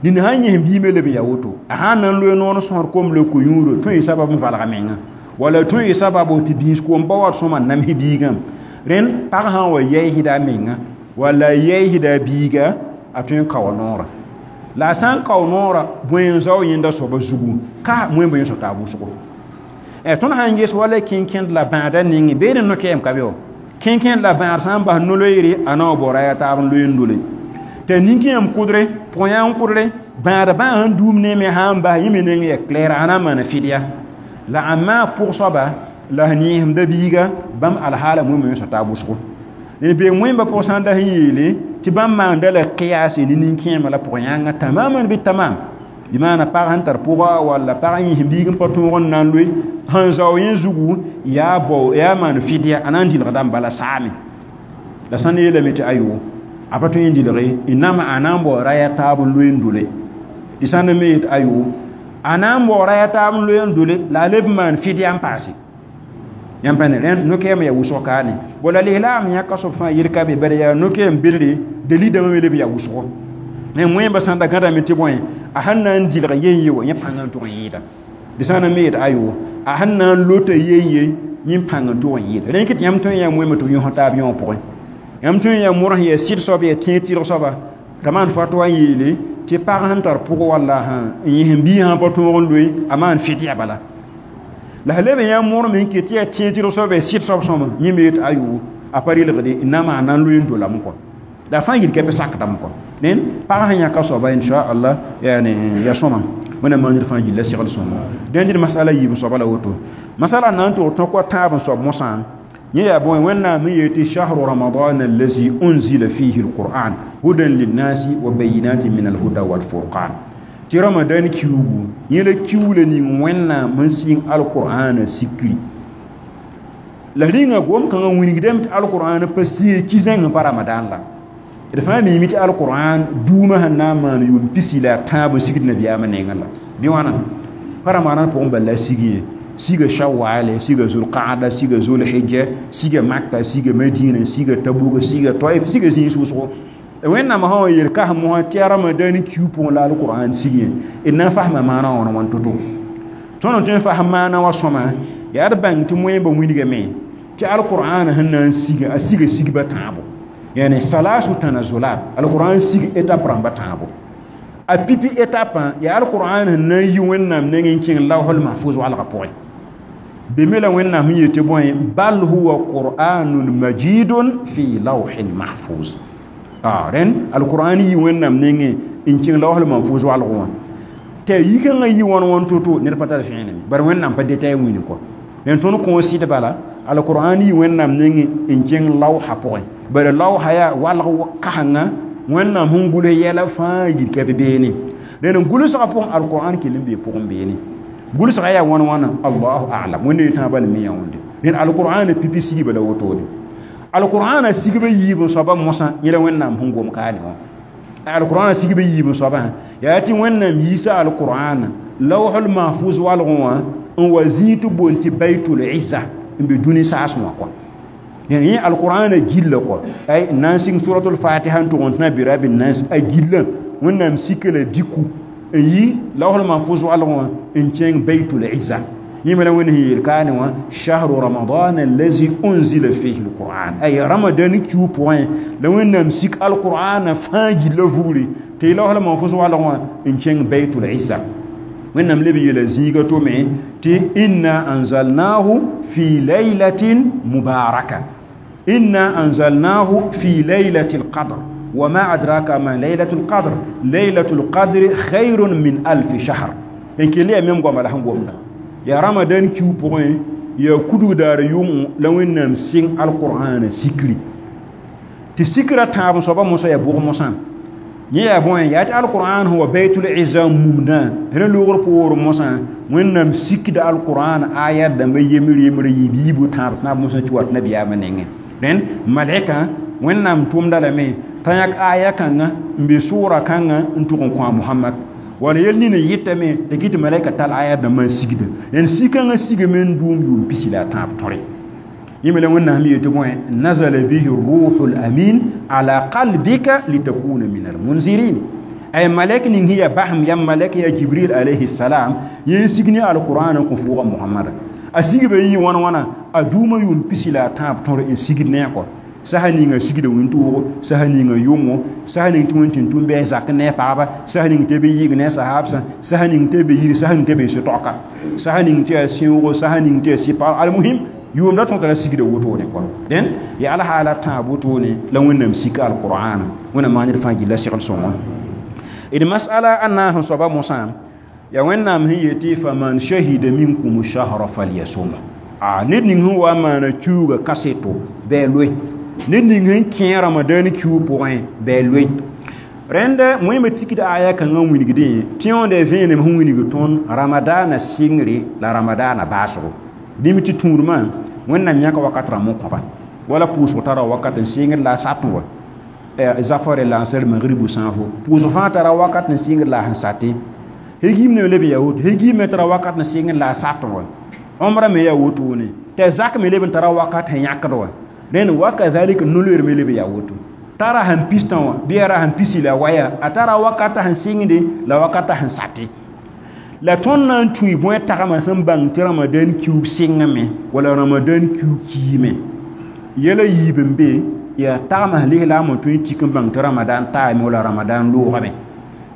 nina sãn yẽsem bii me leb n yaa woto a sã n na n loe noor n sõsd kom la ko-yũudo tõe n sabab n valga menga walla tõe n sabab tɩ biis koom pa wat sõma n nams biigã rẽnd pag sã n wa yɛɛsda a menga walla a yɛɛsda a biiga a tõe n kao noorã la a sã n kao noorã bõe n zao yẽnda soaba zugu ka wẽn bõe yẽ soab t'a wʋsgo tõnd sã n ges wala kẽnkẽnd la bãada nengẽ beene no-kɛɛm ka be wa kẽnkẽnd la bãad sã n bas no-loeere a na wa bao raya taab n loe n dole tɩ nin-kẽem kʋdre pʋg-yãng kʋdre bãad bãag sẽn duum ne me sã n bas yẽ me neng yaa clair a na n maana fɩdya la a maa pʋg soaba la sẽn yẽsemda biiga bãmb alhaala wẽn yẽ soab t'a wʋsgo bee wẽmba pʋg sã n da sẽn yeele tɩ bãmb maanda la qiyase ne nin-kẽemã la pʋg-yãngã tamaman bɩ tamam bɩ maana pag sẽn tar pʋga walla pag n yẽsem biig n pa tõog n na n loe sẽn zao yẽ zugu yaa bao yaa maan fɩdya a na n dɩlgdame bala saame la sã n yeelame tɩ ayo a pa tõe n dɩlge n nama a na n bao raya taab n loe n dole tɩ sã n me yet ayo a na n bao raya taab n loe n dole la a leb n maan fɩdya n paase yãmb pa ne rẽnd no-kɛɛm yaa wʋsg kaane bo la lislaam yãka soab fãa yel ka be bala yaa no-kɛɛm bedre dalil dãmbã me leb yaa wʋsgo ne wẽmba sã n da gãdame tɩ bõe a sẽn na n dɩlg yen ye wa yẽ pãng n tʋg n yɩɩda dɩ sã n na me yet ayo a sẽn na n lota yen ye yẽ pãng n tʋg n yɩɩda rẽnd kɩ tɩ yãmb tõe n yaa wẽmba tɩ b yõs taab yõ pʋgẽ yãmb tõe n yaa modg sẽn yaa sɩd soab yaa tẽeg tɩrg soaba t'a maan fatwa n yeele tɩ pag sẽn tar pʋg walla n yẽsem biig sã pa tõog n loe a maan fɩdya bala la sẽn leb n yaa modg me n ket tɩ yaa tẽeg tɩrg soab yaa sɩd soab sõma yẽ me yet ayo a pa rɩlgde n na maan na n loe n dolame kɔ la fãa yel ka bɩ sakdame kɔ rẽnd pag sẽn yãka soaba inchallah yani ya sõma wẽnnaam maan ned fãa gilla segl sõma dẽnd d masala yiib soaba la woto masala na n tʋg tõk wa tãab n soab mosã yẽ yaa bõe wẽnnaam n yeel tɩ shahru ramadan allazi unzila fihi alquran hudan linnasi wa bayinatin min alhuda walfurqan tɩ ramadan kiugu yẽ la kiuula ning wẽnnaam n sɩng alqur'ana sikri la rĩnga gom-kãngã wilgdame tɩ alqur'an pa sɩe ki-zẽng pa ramadan la d fãa miime tɩ alqur'an duumã sẽn na n maan yʋʋm pisi la a tãab n sigd nabiyaamã nengẽ la bɩ wãna pa ramadan pʋgẽ bala la sig ye siga shawale siga zulqaada siga zulhijja siga makka siga madina siga tabuka siga taif siga zĩig wʋsgo wẽnnaam sã wa yel kas mosã tɩ yaa ramadan kiu pʋgẽ la alqur'an sig ye d na n fasma maana wã wãn to-to tõnd n tõe n fasm maana wã sõma yaa d bãng tɩ moẽmba wilgame tɩ alqur'an sẽn na n siga a siga sigba tãabo yani salasu tanazulat alquran sig étape rãmba tãabo a pipi étape yaa alquran sẽn na n yi wẽnnaam nengẽ n kẽng lawhul mahfuz walgã pʋgẽ be me la wẽnnaam sẽn yetɩ bõe bal huwa qur'anun majidun fi lawhin mahfuz rẽnd alquran yi wẽnnaam nengẽ n kẽng lawhul mahfuz walgẽ wã tɩ a yikãngã yi wãn wãn to-to ned pa tar fẽeneme bare wẽnnaam pa detay wĩni kɔ rẽnd tõnd kõo sɩd bala alquran yi wẽnnaam nengẽ n kẽng lawha pʋgẽ bare lawha yaa walg kasengã wẽnnaam sẽn gʋls yɛla fãa yil ka be beene rẽnd n gʋlsgã pʋgẽ alquran kell n bee pʋgẽ beene gʋlsgã yaa wãn wãna allahu alam wẽnde tãabã le me yã wẽnde rẽnd alqur'ana pipi sigba la wotone alqur'ana sigba yiib n soaba mosã yẽ la wẽnnaam sẽn gom kaane wã alqur'ana sigba yiib n soabã yaa tɩ wẽnnaam yiisa alqur'ana lawhul mahfuz walgẽ wã n wa zĩig tɩ boond tɩ baitul izza n be dũni saas wã kɔa yẽ alqur'ana gilla kɔ ay n na n sɩng suratul fatiha n tʋg n tẽna birabi nas a gillã wẽnnaam sika la diku n yi lawhul mahfuz walgẽ wã n kẽng baitul izza Yẽmla wẽnd sẽn yeel kaane wã shahru ramadan allazi unzila fihi alquran ay ramadan kiu pʋgẽ la wẽnnaam sik alqur'ana fãa gilla vugre tɩ y laosla manfos walg wã n kẽng baitul izza wẽnnaam leb yeela zĩiga to me tɩ inna anzalnahu fi laylatin mubaraka inna anzalnahu fi laylati alqadr وما أدراك ما ليلة القدر ليلة القدر خير من ألف شهر إن كلي أمم قام لهم قمنا يا رمضان كيو بوين يا كدو دار يوم لو إنهم سين القرآن سكري تسكرة تاب صبا موسى يا بوغ موسى يا بوين يا القرآن هو بيت العزة ممنا هنا لغر بور موسى وإنهم سكد القرآن آيات دم يمر يمر يبيبو تاب تاب موسى تشوات نبي آمنين لأن ملائكة وإنهم توم دلمي t'a yãk aya kãngã n be sʋʋra kãngã n tʋg n kõ a Mohamad wala yel nin n yɩtame t'a kɩ tɩ malaika tall aya dãmbã n sigda d sikãngã sigame n dʋʋm yʋʋm pisi la a tãab tõre yẽ me la wẽnnaam yetɩ bõe nazala bihi ruhu lamin ala qalbika litakuna min almunzirin ay malak ning sẽn yaa basem yam malak yaa jibril alayhi salam yẽ n sig ne alqur'an n kõ fʋʋga Mohamada a sigba yɩ wãn wãna a dʋʋmã yʋʋm pisi la a tãab tõr n sigd ne a kɔ saha ninga sigda wẽn-toogo saha ninga yʋngo saha ning tɩ wẽn tɩ tʋm bɩ a zak ne a paaba saha ning tɩ b yɩg ne a sahabsã saha ning tɩ b yir saha ning tɩ b sɩ-taoka saha ning tɩ yaa sẽoogo saha ning tɩ yaa sɩpa almuhim yʋʋmda tõr tara sigda wotone kɔ dẽn yaa alhaala tãab wotone la wẽnnaam sika alqur'ana wẽnnaam maan ned fãa gilla segl sõngo d masala a naas n soaba mosã yaa wẽnnaam sẽn yetɩ faman shahida minkum shahra falyasum a ned ning sẽn wa n maana kiuuga kaseto bɩ a loe ned ning sẽn kẽ ramadan kiu pʋgẽ bɩ a loe rẽnda wẽmb tikd aya kãngã n wilgdẽ tɩ yõoda vẽenem sẽn wilg tõnd ramadaana sɩngre la ramadaana baasgo dĩm tɩ tũudmã wẽnnaam yãka wakat rãmb n kõba wala pʋʋsg tara wakat n sɩngd la a satẽ wa zafare lansar magribu sãafo pʋʋsg fãa tara wakat n sɩngd la a sẽn satẽ hegim ne leb yaa woto hegim me tara wakat n sɩngd la a satẽ wa omra me yaa wotone t'a zak me leb n tara wakat sẽn yãkd wa rẽnd wakadhalika no-loeer me leb yaa woto tara sẽn pistã wã bɩ yaa ra sẽn pisi la waya a tara wakata sẽn sɩngde la wakata sẽn sate la tõnd na n tũi bõe tagmã sẽn bãng tɩ ramadan kiuug sɩngame wala ramadan kiuug kiime yɛla yiib n be yaa tagmã sẽn lislaamã tõe n tik n bãng tɩ ramadan taame wala ramadan loogame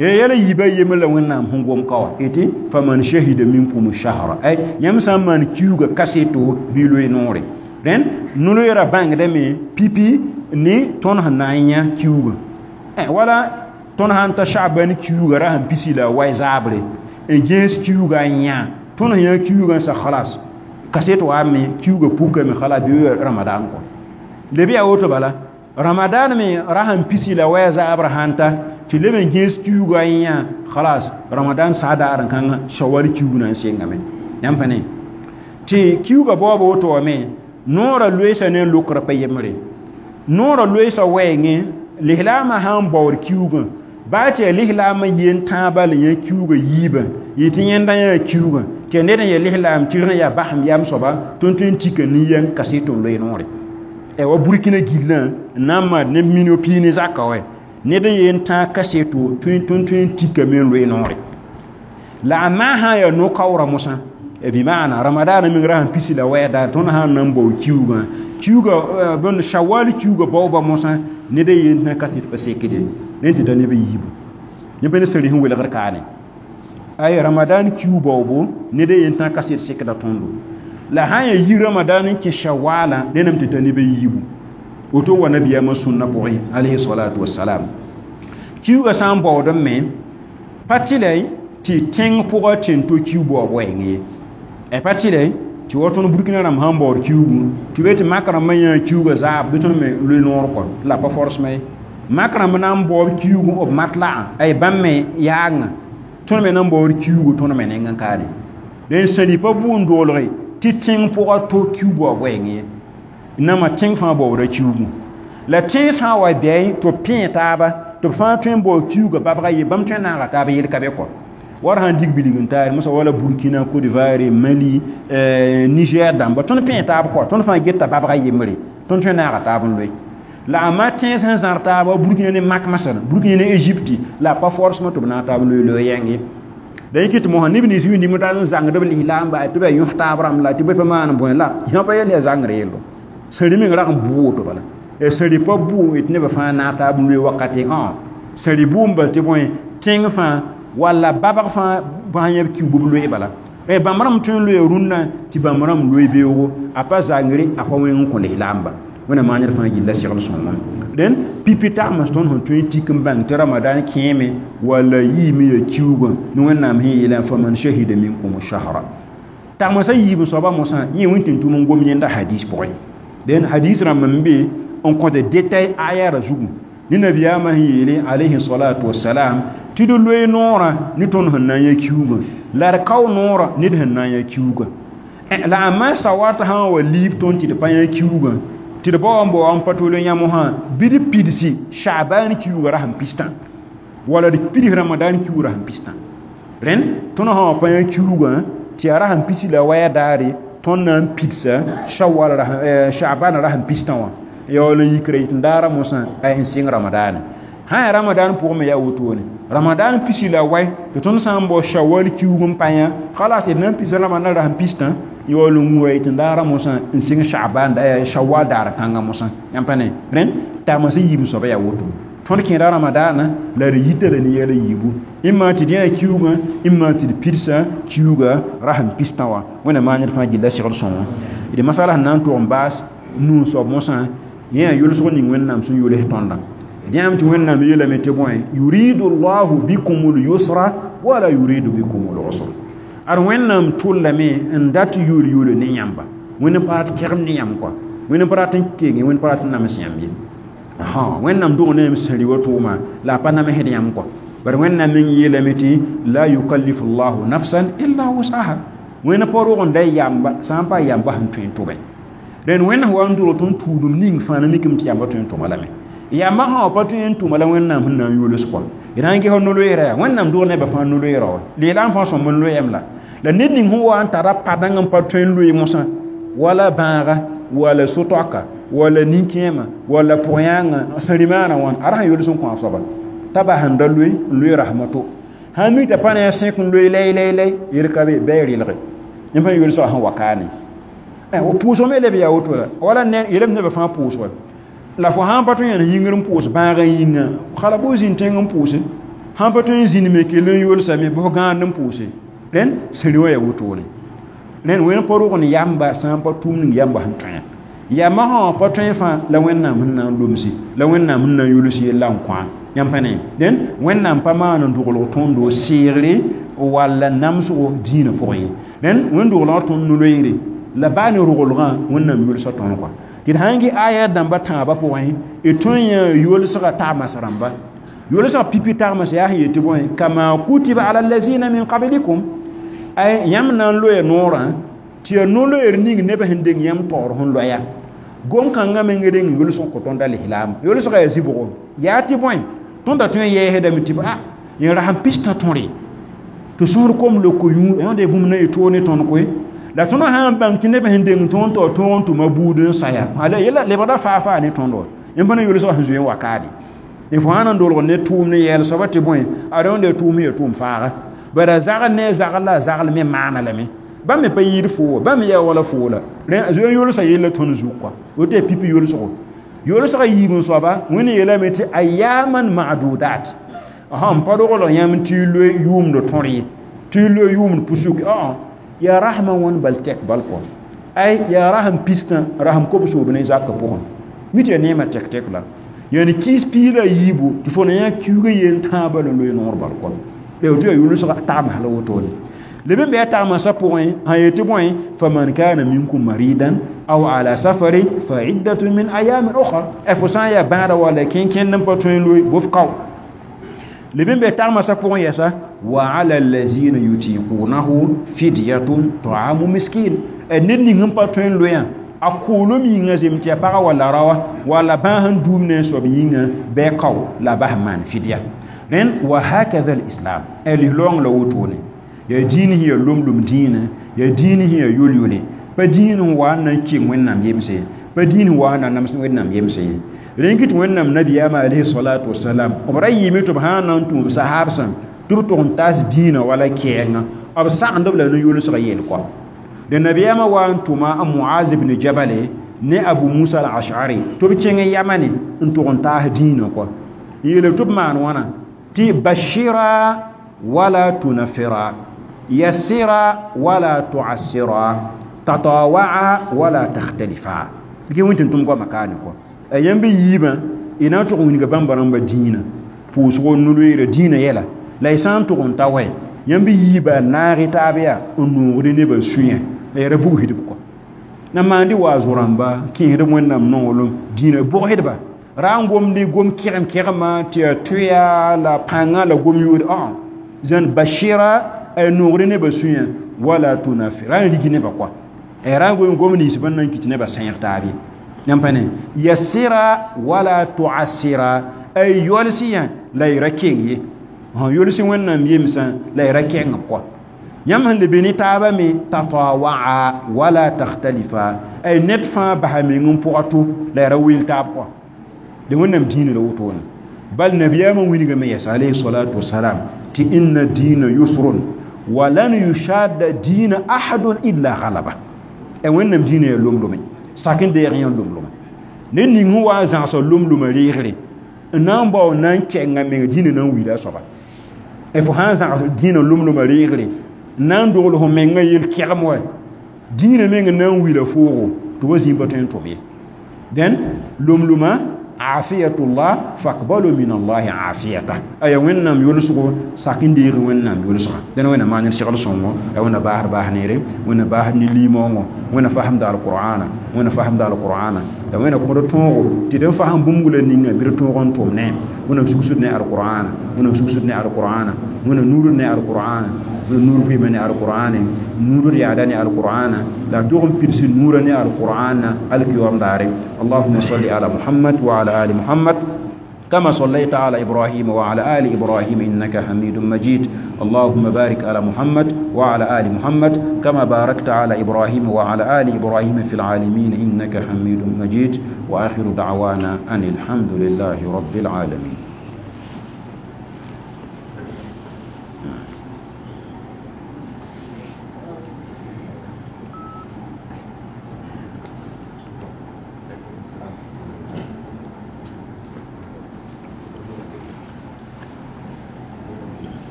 yɛla yiibã yembr la wẽnnaam sẽn gom ka wã tɩ faman shahida minkum shahra ay yãmb sã n maan kiuugã kaseto bɩ loe noore rẽnd no-loeerã bãngdame pipi ne tõnd sẽn na n yã kiuugã wala tõnd sã n ta shaban kiuugã ra sẽn pisi la wa zaabre n gẽes kiuugã n yã tõnd sẽn yã kiuugã n sa khalas kaset waame kiuugã pukame khalas bɩ ramadan kɔ leb yaa woto bala ramadan me ra sẽn pisi la wa zaabr sãn ta tɩ leb n gẽes kiuugã n yã khalas ramadan saadaar n kãngã shawal kiuug na n sengame yãmb pa ne tɩ kiuugã baoob woto wame noorã loeesa ne lokrã pa yembre noorã loeesa wɛɛngẽ lislaamã sã n baood kiuugã baa tɩ yaa lislaamã yen tãabã la yã kiuugã yiibã yɩ tɩ yẽnda yã kiuugã tɩ yaa ned n yaa lislaam tɩ rẽ yaa basem yam soaba tõnd tõe n tika nin-yɛng kaset n loe noore wa burkina gillã n na n maan neb minio pii ne zaka wɛ ned n yen tãag kaseto tõnd tõe n tikame n loe noore la a maa sã n yaa no-kaoorã mosã bimana ramadana meng ra sẽn pisi la wɛɛda tõnd sã n na n bao kiuugã kiuugã bõn shawal kiuugã baooba mosã ned n yen tã kaset pa sekde rẽnd tɩ ta neb n yiibu yẽ pa ne sari sẽn welgr kaane ay ramadan kiu baoobo ned n yen tã kaset sekda tõndo la sã n yaa yi ramadan n kẽ shawala rẽndame tɩ ta neb n yiibu woto wa nabiyaamã sũnna pʋgẽ alayhi salatu wasalam kiuugã sã n baood n me pa tɩlɛ tɩ tẽng pʋgã tẽn to kiu baoob wɛɛng ye pa tɩlɛ tɩ wa tõnd burkina rãmb sãn baood kiuugu tɩ be tɩ mak rãmbã yã kiuugã zaab bɩ tõnd me loe noor kɔ la pa forsmã ye mak rãmb na n baoob kiuugu b matlagã ay bãmb me yaagã tõnd me na n baood kiuugu tõnd me nengẽ kaane dẽn sẽn pa bʋʋn doolge tɩ tẽng pʋgã to kiu baoob wɛɛng ye nama tẽng fãa baooda kiuugu la tẽns sã n wa bɛɛ tɩ b pẽe taaba tɩ b fãa tõe n baood kiuugã babga ye bãmb tõe n naaga taab yel ka be kɔ war sãn dig bilg n taare mosa wala Burkina Côte d'Ivoire Mali Niger dãmba tõnd pẽe taab kɔ tõnd fãa geta babga yembre tõnd tõe n naaga taab n loe la a ma tẽns sẽn zãr taaba Burkina ne mak masala Burkina ne Égypte la pa forcement tɩ b naag taab loe loe yẽng ye La yikit mo neb nins wĩndim t'a n zãngd b lislaam ba tɩ ba yõs taab rãmb la tɩ bõe pa maan bõe la yã pa yel yaa zãngr yello sẽri meng rag n bʋ woto bala sẽri pa bʋ tɩ nebã fãa naag taab n loe wakate sẽri bʋʋm bal tɩ bõe tẽng fãa walla babg fãa bãa yãb kiu b loe bala bãmb rãmb tõe n loe rũnnã tɩ bãmb rãmb loe beoogo a pa zãngre a pa wẽng n kõ lislaamba wẽnnaam maan ned fãa gilla segl sõngã dẽn pipi tagms tõnd sẽn tõe n tik n bãng tɩ ramadan kẽeme walla yiime ya kiuugã ne wẽnnaam sẽn yeelã faman shahida minkum shahra tagmsã yiib soaba mosã yẽ wẽn tʋm n gom yẽnda hadis pʋgẽ dẽn hadis rãmb n be n kõt détail ayara zugu ne nabiyaamã sẽn yeele alayhi salatu wasalam tɩ d loe noorã ne tõnd sẽn na n yã kiuugã la d kao noorã ned sẽn na n yã kiuugã la a ma sawat sã n wa liib tõnd tɩ d pa yã kiuugã tɩ d bao n bao n pa tol n yã mosã bɩ d pidsi Sha'ban kiuugã rasem pistã wala d pids Ramadan kiuugã rasem pistã rẽnd tõnd sã wa pa yã kiuugã tɩ yaa rasem pisi la waya daare tõnd na n pidsa Shawwal Sha'ban rasem pistã wã yaool n yikra yit n daara mosã n sɩng Ramadaane sã yaa Ramadan pʋgẽ me yaa wotone Ramadan pisi la wɛ tɩ tõnd sã n bao Shawwal kiuug n pa yã khalas d na n pisa Ramadan rasem pistã yaool n wura yit n daara mosã n sɩng Sha'ban Shawwal daar kãngã mosã yãmb pa ne rẽnd tagmsã yiib soaba yaa woto tõnd kẽeda Ramadaana la d yita la ne yɛla yiibu ĩmma tɩ d yã kiuugã ĩmma tɩ d pidsa kiuugã rasem pistã wã wẽnnaam maan ned fãa gilla segl sõngo d masala sẽn na n tog n baas nuu soab mosã yẽ yaa yʋlsg ning wẽnnaam sẽn yʋls tõndã d yãame tɩ wẽnnaam yeelame tɩ bõe yuridu llahu bikum lyusra wala yuridu bikum lusra ad wẽnnaam tʋllame n dat yʋl yʋl ne yãmba wẽnd n pa rat kegem ne yãmb kɔa wẽnd n pa rat n kenge wẽnd pa rat n nams yãmb ye wẽnnaam dog ne yãmb sẽri wa tʋʋma la a pa namsd yãmb kɔa bari wẽnnaam meng yeelame tɩ la yukallifu llahu nafsan illa wusaha wẽnd pa rog n da yamba sã n pa yamba sẽn tõe n tʋbẽ rẽnd wẽnd sẽn wa n dʋlg tõnd tuudum ning fãa na mikame tɩ yamba tõe n tʋma lame yamba sã wa pa tõe n tʋma la wẽnnaam sẽn na n yols kɔa d na n ges no-loeera yaa wẽnnaam dog nebã fãa no-loeera wa leelaam fãa sõmb n loeem la la ned ning sẽn wa n tara padãng n pa tõe n loe mosã wala bãaga wala so-toaka wala nin-kẽema wala pʋg-yãangã sẽn rɩ-maana wãn a ra sẽn yols n kõ a soaba t'a bas n da loe n loe rasma to sãn mi t'a pa ne a sẽk n loe lay lay lay yel ka be bɩ a relge yẽ pa yolsga sẽn wa kaane pʋʋsg me leb yaa woto la wala yeelame nebã fãa pʋʋsga la fo sãn pa tõe n yĩngr n pʋʋs bãag n yĩnga hala bɩ zĩnd tẽng n pʋʋse sãn pa tõe n zĩnd me kell n yolsame bɩ fo gãand n pʋʋse rẽnd sẽri wã yaa wotone rẽnd wẽnd pa rog n yamba sã n pa tʋʋm ning yamba sẽn tõe yamba sã wã pa tõe fãa la wẽnnaam sẽn na n lomse la wẽnnaam sẽn na n yols yella n kõ yãmb pa ne dẽn wẽnnaam pa maan n doglg tõndo seegre walla namsgo dĩinã pʋgẽ ye rẽnd wẽn doglgã tõnd no-loeere la baa ne roglgã wẽnnaam yolsa tõnd kɔa tɩ d sãn gɩ aya dãmba tãabã pʋgẽ d tõe n yã yolsga tagms rãmba yolsga pipi tagms yaa sẽn yet tɩ bõe kama kutiba ala lazina min qablikum ay yãmb na n loe noorã tɩ yaa no-loeer ning nebã sẽn deng yãmb taoor sẽn loya gom-kãngã meng reng yolsg kõ tõnda lislaam yolsga yaa zibgo yaa tɩ bõe tõnda tõe n yɛɛsdame tɩ a yẽ rasem pistã tõre tɩ sõor kom loko yũ yãnde bũmb na yɩ toog ne tõnd koe la tõnd sã n bãng tɩ neb sẽn deng tõnd taoor tõog n tʋma buud n saya yella lebgda faa-faa ne tõnd wa yẽmb pa na yolsga sẽn zoe n wa kaade fo sã n dolg ne tʋʋm ne yɛɛl soaba tɩ bõe a rẽnda tʋʋm ya tʋʋm faaga bara zagl ne zagl la zagl me maana lame bãmb me pa yɩɩd foo wa bãmb yaa wala foo la zoe n yolsã yella tõnd zug kɔa woto yaa pipi yolsgo yolsga yiib n soaba wẽnd yeelame tɩ ayaman madudat n pa roglg yãmb tɩ y loe yʋʋmd tõr ye tɩ y loe yʋʋmd pusuk yaa rasmã wãn bal tɛk bal kɔ ay yaa rasem pistã rasem kobsoob ne zakã pʋgẽ mi tɩ yaa neemã tɛk-tɛk la yani kiis piila yiibu tɩ fo na yã kiuugã yel tãabã la loe noor bal kɔ tɩ yaa yolsga tagms la wotone leb n bɩ a tagmsã pʋgẽ sã yet tɩ bõe faman kana minkum maridan aw ala safarin fa iddatun min ayamin ukhar fo sã n yaa bãada walla kẽn-kẽnd n pa tõe n loe bof kao leb n bɩ tagmsã pʋgẽ yɛsa wa ala allazina yutiqunahu fidyatun ta'amu miskin ned ning n pa tõe n loeã a koolem yĩngã zem tɩ yaa paga walla raoa walla bãas n duum ne n soab yĩngã bɩ a kao la bas n maan fidya rẽnd wa hakada lislam lislaoong la wotone yaa dĩin sẽn yaa lom-lom dĩinã yaa dĩin sẽn yaa yol-yole pa dĩin n wa n na n keng wẽnnaam yemse ye pa dĩin n wa n na nams wẽnnaam yemse ye rẽn kɩ tɩ wẽnnaam nabiyaamã alayhi salatu wasalam b ra yɩɩme tɩ b sã n na n tũub sahaabsã tɩ Tɩ b tʋg n taas dĩinã wala kɛɛngã b sagend b la ne-yolsgã yel kɔ de nabiyaamã wa n tʋma a Muaz ibn Jabal ne Abu Musa al-Ash'ari tɩ b kẽng yamane n tʋg n taas dĩinã kɔ n yeele tɩ b maan wãna tɩ bashira wala tunafira yassira wala tu'assira tatawa'a wala takhtalifa dɩk wẽn tɩ n tʋm goamã kaane kɔ a yãmb yiibã y na n tʋg n wilga bãmba rãmbã dĩinã pʋʋsgo no-loeerã dĩinã yɛla la y sã n tʋg n ta wɛ yãmb yiibã naag y taab yaa n noogd nebã sũyã la ya ra bugsdb kɔ na maand wa zo-rãmba kẽesdb wẽnnaam nonglem dĩinã bʋgsdba ra n gomd gom kẽgem kẽgema tɩ yaa tʋya la pãngã la gom yood ã zãn bashira a noogd nebã sũyã wala tunafi ra n rig nebã kɔa ra n gom gom nins bãn na n kɩt nebã sẽeg taab ye yãmb pa ne yassira wala tuassira a yols yã la y ra keng ye sẽn yolsɩ wẽnnaam yemsã la y ra kẽng b kɔa yãmb sẽn lebe ne taabã me tatawa'a wala takhtalifa ay ned fãa basa meng n pʋga to la y ra weel taab kɔa de wẽnnaam dĩinã la wotone bal nabiyaamã wilgame yɛs alayhi salatu wasalam tɩ inna diina yusrun walan yushadda diina ahadun illa ghalaba a wẽnnaam dĩinã yaa lomlome sak n deeg yã lomlome ned ning sẽn wa n zãgsa lomlomã reegre n na n bao na n kɛnga meng dĩinã na n wila a soaba fo sã n zãgs dĩinã lomlomã reegre n na n dogl fo mengã yel-kɛgem wa dĩinã meng n na n wila foogo tɩ wa zĩig pa tõe n tʋm ye dẽn lomlomã afiyatullah faqbalu min allahi afiyata aya wẽnnaam yolsgo sak n deeg wẽnnaam yolsga dẽn wẽnna maan segl sõngo a wẽnna baasd baas neere wẽnna baasd ne limaoongõ wẽnna fasemda alqur'ana wẽnna fasemda alqur'ana la wẽnna kõd tõogo tɩ d n fasem bũmb la ninga bɩ d tõog n tʋm ne wẽnna sugsd ne alqur'ana wẽnna sugsd ne alqur'ana wẽnna nuurd ne alqur'ana wẽnna nuur vɩɩmã ne alqur'ane nuurd yaada ne alqur'ana la tʋg n pids nuurã ne alqur'ana alkiyoom daare allahuma salli ala muhammad wa ala آل محمد كما صليت على إبراهيم وعلى آل إبراهيم إنك حميد مجيد اللهم بارك على محمد وعلى آل محمد كما باركت على إبراهيم وعلى آل إبراهيم في العالمين إنك حميد مجيد وآخر دعوانا أن الحمد لله رب العالمين.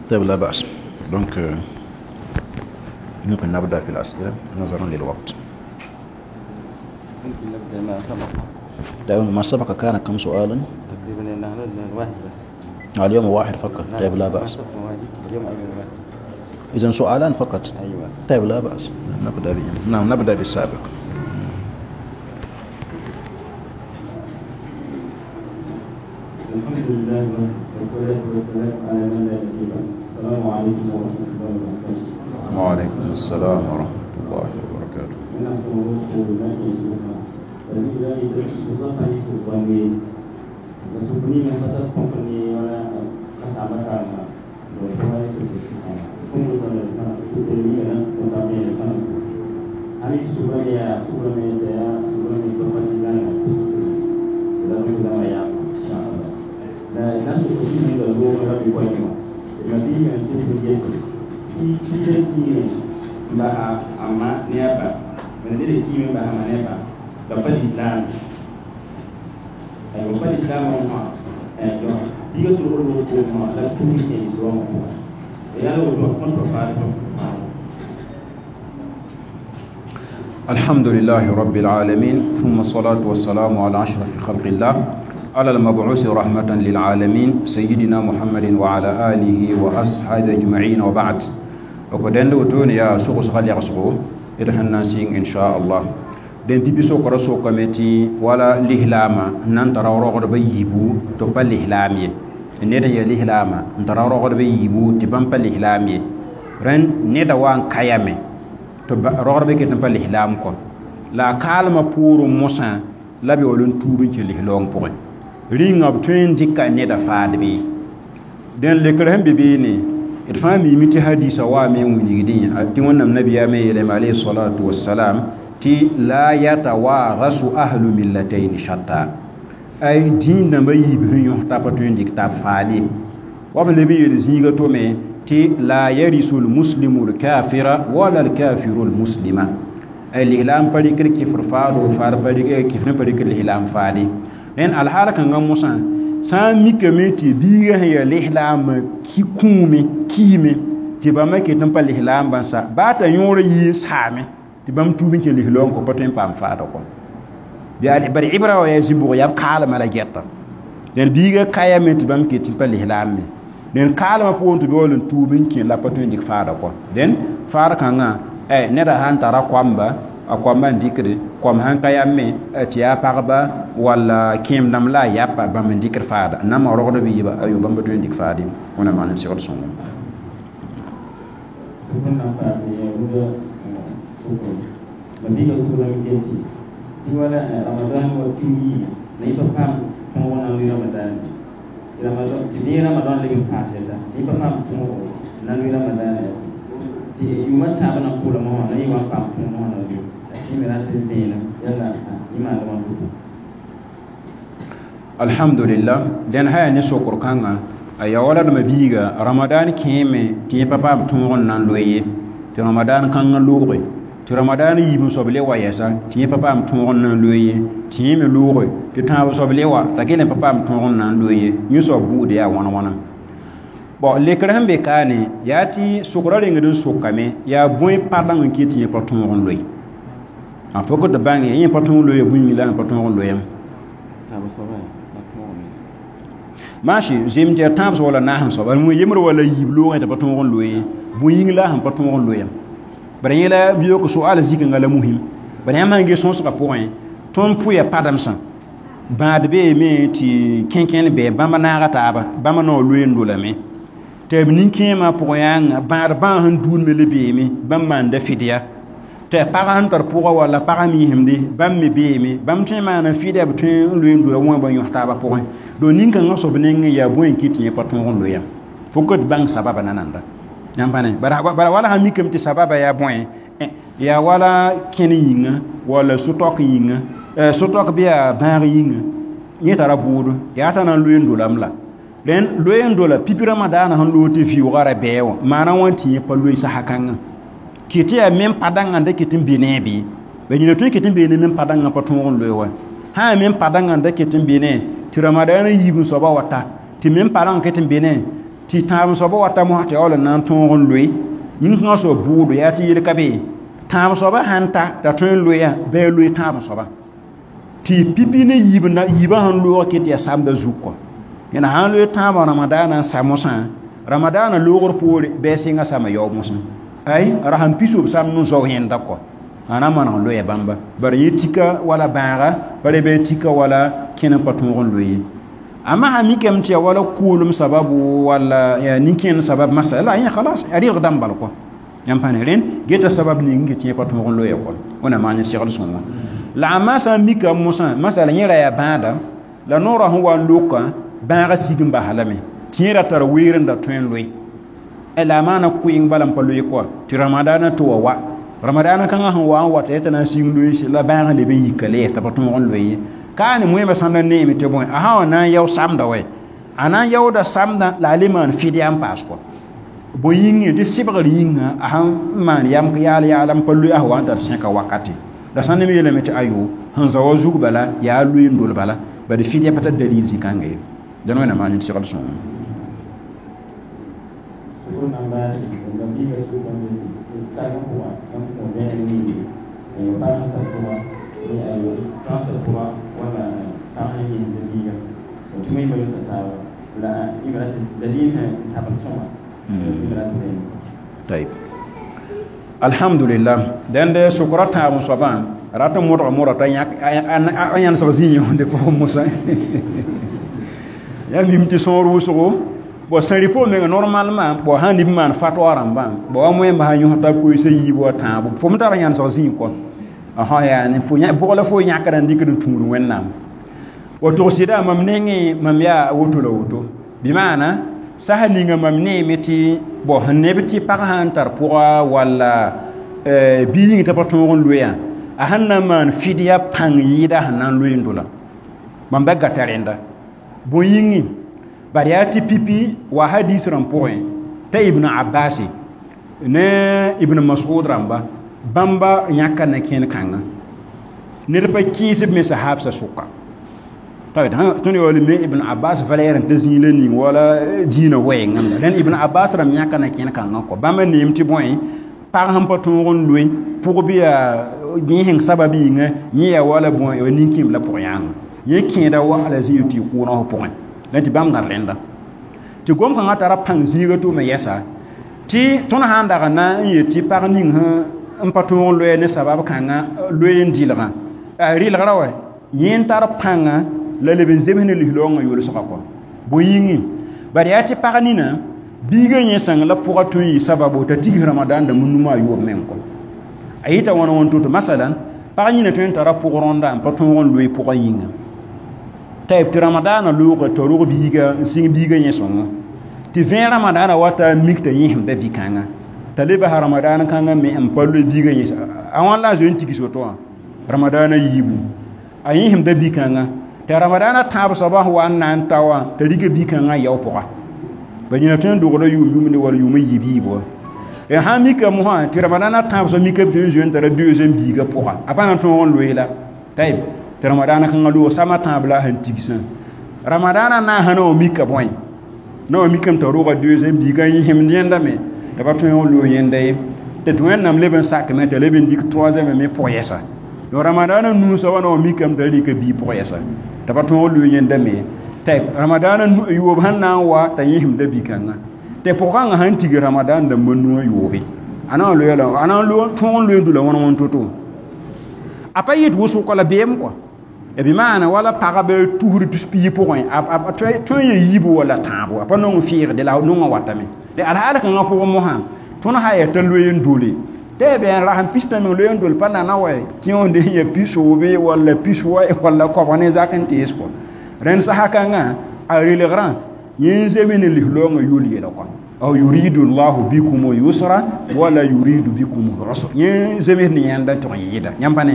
طيب لا بأس. Donc ممكن نبدأ في الأسئلة نظرا للوقت. ممكن نبدأ ما سبق. دائما ما سبق كان كم سؤالا؟ تقريبا واحد بس. اليوم واحد فقط. طيب لا بأس. اليوم أيضا واحد. إذن سؤالان فقط. أيوة. طيب لا بأس. نبدأ به. نعم نبدأ بالسابق. الحمد لله والصلاة والسلام على من لا نبي بعده. السلام عليكم ورحمة الله وبركاته. وعليكم السلام ورحمة الله وبركاته. الحمد لله رب العالمين ثم الصلاة والسلام على أشرف خلق الله على المبعوث رحمة للعالمين سيدنا محمد وعلى آله وأصحابه أجمعين وبعد. وكدن وتون يا سوق سغال يغسقو إرهن ناسين إن شاء الله. دين تبي سوق رسوق كمتي ولا لهلاما نان ترى رغد بيبو تبا لهلامي نيدا يا لهلاما نترى رغد بيبو تبان لهلامي رن نيدا وان كيامي تبا رغد بيك تبا لهلام كون لا كالما بورو موسى لا بيولون توبين لهلون بوري ring ab tõe n dɩka neda faadbe dẽn lekr sẽn be beene d fãa miime tɩ hadisa waame n wilgdẽ tɩ wẽnnaam nabiyaamã yeelame alayhi salatu wassalam Tɩ la yatawarasu ahlu millatayn shatta ay dĩin dãmba yiib sẽn yõs t'a pa tõe n dɩk tab faade wa b leb n yeel zĩiga tome tɩ la yarisu lmuslimu lkafira wala lkafiru lmuslima ay lislaam pa rɩkd kɩfr faado faad pa rɩk kɩfr pa rɩkd lislaam faade rẽnd alhaal kãngã mosã sã n mikame tɩ biigã sẽn yaa lislaamã ki kũume kiime tɩ bãmba ket n pa lislaam bãnsa baa t'a yõor yii n saame tɩ bãmb tuub n kẽ lislaoong kõ pa tõe n paam faada kɔ bari ibra wa yaa zĩ-bʋg yaa b kaalmã la gɛta dẽn biigã kayame tɩ bãmb ket n pa lislaam me dẽn kaalmã pʋgẽ tɩ b yaool n tuub n kẽ la pa tõe n dɩk faada kɔ dẽn faad kãngã neda sãn tara koamba a koamba n dɩkde koam sãn ka yam me tɩ yaa pagba walla kẽem dãmb la a yapa bãmb n dɩkd faada n na n maa rogd b yɩba ayo bãmb pa tõe n dɩk faade wẽnnaam maan n segd sõngo wala Ramadan wa pili na ipa pam tungo na lui Ramadan Ramadan ti ni Ramadan le paase sa ipa pam tungo na lui Ramadan ti yuma chaba na kula mo na iwa pam tungo na lui ti mi na ti dina yalla ima da wan alhamdulillah den haya ne sokor kanga aya wala da mabiga Ramadan keme ti pa pam tungo nan loye ti Ramadan kanga loge tɩ ramadaana yiib n soab le wa yɛsa tɩ yẽ pa paam tõog n na n loe ye tɩ yẽ me looge tɩ tãab soab le wa t'a kell n pa paam tõog n na n loe ye yẽ soab buud yaa wãn wãna bõ lekr sẽn be kaane yaa tɩ sokra rengd n sokame yaa bõe padãng n kɩt tɩ yẽ pa tõog n loe a fo tɩ bãnge yẽ pa tõog n loe bũmb la pa tõog n loeem maasi zem tɩ yaa tãab soab wala naas n soaba yembr wala yiib loogẽ tɩ pa tõog n loe bõe yĩng la sẽn pa tõog n loeem bara yẽla biyook soaal zikãngã la muhim bara yãmb sãn ges sõsgã pʋgẽ tõnd pʋya pademsã bãad beeme tɩ kẽnkẽnd bɩ bãmb naaga taaba bãmb naoor loe n dolame tɩ b nin-kẽemã pʋgẽ yãnga bãad bãag sẽn duud me le beeme bãmb maanda fɩdya tɩ pagã sẽn tar pʋgã walla pagã miisemde bãmb me beeme bãmb tõe n maana fɩdya b tõe n loe n dola wã ba yõs taabã pʋgẽ donc nin-kãngã soab nengẽ yaa bõe n kɩt tɩ yẽ pa tõog n loeya fo ket bãng sababa nananda yãmb bara wala sã mikame tɩ sababa yaa bõe yaa wala kẽne yĩnga walla so-taok yĩnga so-taok bɩ yaa bãag yĩnga yẽ tara bʋʋdo yaa t'a na n loe n dolame la rẽnd loe n dola pipi ramadaana sẽn loog tɩ vɩʋʋgã ra bɛɛ wã maana wã tɩ yẽ pa loe sasa kãngã kɩ tɩ yaa men padãngã n da ket n be ne bɩ ba yĩna tõe ket n beene men padãngã pa tõog n loe wa sã yaa men padãngã n da ket n be ne tɩ ramadaana yiib n soaba wa ta tɩ men padãngã ket n be ne tɩ tãab soaba wa ta mosã tɩ yaool n na n tõog n loe yĩn-kãngã soab bʋʋdo yaa tɩ yel ka be tãab soaba sãn ta t'a tõe n loeya bɩ a loe tãab soaba tɩ pipi ne yiibã sẽn loog ket yaa samda zug kɔ yẽna sãn loe tãabã ramadaana n sa mosã ramadaana loogr poore bɩ a sɩnga sama yaoog mosã ay ra sẽn pisob samd n zao yẽnda kɔ a na n maneg n loeya bãmba bara yẽ tika wala bãaga bara bɩ a tika wala kẽn n pa tõog n loe ye amma sã mikame tɩ yaa wala kʋʋlem sababu walla yaa nin-kẽend sabab masala la yẽ khalas a rɩlg dãmb bal kɔ yãmb pa ne rẽnd geta sabab ning n tɩ yẽ pa tõog n loeya kɔ wẽnnaam maan segl sõngo la a sã n mika mosã masala yẽ ra yaa bãada la noorã sẽn wa n lokã bãagã sig n bas lame tɩ yẽ ra tar weer n da tõe n loe la a maana kʋɩng bala n pa loe kɔa tɩ ramadaana tɩ wa wa ramadaana kãngã sẽn wa n wata t'a na n sig n loe la bãagã leb n yika le t'a pa tõog n loe ye kaane moẽmã sãn da neeme tɩ bõe a sã wa na n yao samda wɛ a na n yaooda samdã la a le maan fɩdya n paas kɔ bõe yĩngẽ tɩ sɩbgr yĩnga a sãn maan yam yaal yaala n pa loe a sẽn wa n tar sẽka wakate la sãn ne me yeelame tɩ ayo sẽn za wa zug bala yaa loe n dol bala bad fɩdya pa tar dalil zĩ-kãnga ye dẽn wẽnnaam maan segl sõngo طيب الحمد لله den de sokra tãab soabã rat n modg modg t'a a yãnesg zĩ yõsde pʋgẽ mosã yaa mim tɩ sõor wʋsgo bõ sẽn rɩ pʋgẽ menga normalement bõ sãn nib maan fatwa rãmbã bõ wa moẽmba sã yõs t'a koeesa yiib wa tãabo fo me tara yãnesg zĩ kɔ yaani fo bʋg la fo yãkda n dɩkd n tũud wẽnnaam wa togsɩda mam nengẽ mam yaa woto la woto bɩ maana sasa ninga mam neeme tɩ bõ sẽn neb tɩ pag sã n tar pʋga walla bii yĩng t'a pa tõog n loeya A sẽn na n maan fidya pãng yɩɩda sẽn na n loe n dola bãmb da gata rẽnda bõe yĩngi bad yaa tɩ pipi wa hadis rãmb pʋgẽ t'a Ibn Abbas ne Ibn Mas'ud rãmba bãmba yãka na-kẽen kãnga ned pa kɩɩs b me sahabsã sʋka tõnd yaool me Ibn Abbas valɛɛr n ta zĩig la ning wala dĩinã wɛɛngame la Ibn Abbas rãmb yãka na-kẽen kãngã kɔ bãmba neem tɩ bõe pag sẽn pa tõog n loe pʋg bɩ yaa yẽseng sabab yĩnga yẽ yaa wala bõe nin-kẽemb la pʋg-yãanga yẽ kẽeda wa la zĩig tɩ y kʋʋnã f pʋgẽ la tɩ bãmb gãd rẽnda tɩ gom-kãngã tara pãng zĩiga tʋʋme yɛsa tɩ tõnd sã n dag na n yet tɩ pag ning sẽn pa tõog n loe ne sabab kãngã loe n dɩlgã a rɩlgrã wa yẽ n tar pãnga la leb n zems ne lislaoongã yolsgã kɔ bõe yĩngi bad yaa tɩ pag nina biigã yẽ sãng la pʋga tõe n yɩ sababo t'a tigs Ramadan dãmb numa a yoob meng kɔ a yɩta wãna wãn to-to masalan pag yĩna tõe n tara pʋg rõnda n pa tõog n loe pʋgã yĩnga t'a tɩ Ramadaanã loogã t'a rog biiga n sɩng biigã yẽ sõngo tɩ vẽe Ramadaanã wata n mik t'a yẽsemda bi-kãnga t'a le basa Ramadaan kãngã me n pa loe biigã yẽs a wãn la a zoe n tigs woto wã Ramadaanã yiibu a yẽsemda bi-kãnga t'a Ramadaanã tãab soabã sẽn wa n na n ta wã t'a rika bi-kãngã yao pʋga ba yĩna tõe n dogda yʋʋm yʋmde wala yʋʋm yiib yiib wa sã n mika mosã tɩ Ramadaanã tãab soab mikame tõe n zoe n tara deuxième biigã pʋga a pa na n tõog n loe la tayb tɩ Ramadaanã kãngã loog sama tãab la a sẽn tigsã Ramadaanã naasã na wa mika bõe na wa mikame t'a roga deuxième biigã yẽsemd yẽnda me t'a pa tõe n loog yẽnda ye tɩ tɩ Wẽnnaam leb n sakame t'a leb n dɩk troisième me pʋg yɛsa donc Ramadaanã nuu soabã na wa mikame t'a rɩka biig pʋg yɛsa t'a pa tõog n loog yẽnda me tɩ Ramadaanã yoob sẽn na n wa t'a yẽsemda bi-kãngã tɩ pʋg-kãngã sãn tig Ramadan dãmba nuwã yoobe a na n loe la a na n tõog n loe n dula wãn wãn to-to a pa yet wʋsg la beem kɔ bɩ maana wala pagb tusr tus-piig pʋgẽ a tõe n ya yiibu wala tãabo a pa nong fɩɩgde la nongã watame de alhaal kãngã pʋgẽ mosã tõnd sã yaa t'a loe n dole tɩ b yaa rasem pistã meng loe n dol pa nana wa kẽ wã ya pis-woobe walla pis wa walla koabg ne zak n tees kɔ rẽnd sasa kãngã a relgrã yẽ n zems ne lislaoongã yol yɛla kɔ aw yuridu llahu bikum yusra wala yuridu bikum usra yẽ zems ne yãnda tɩg n yɩɩda yãmb pa ne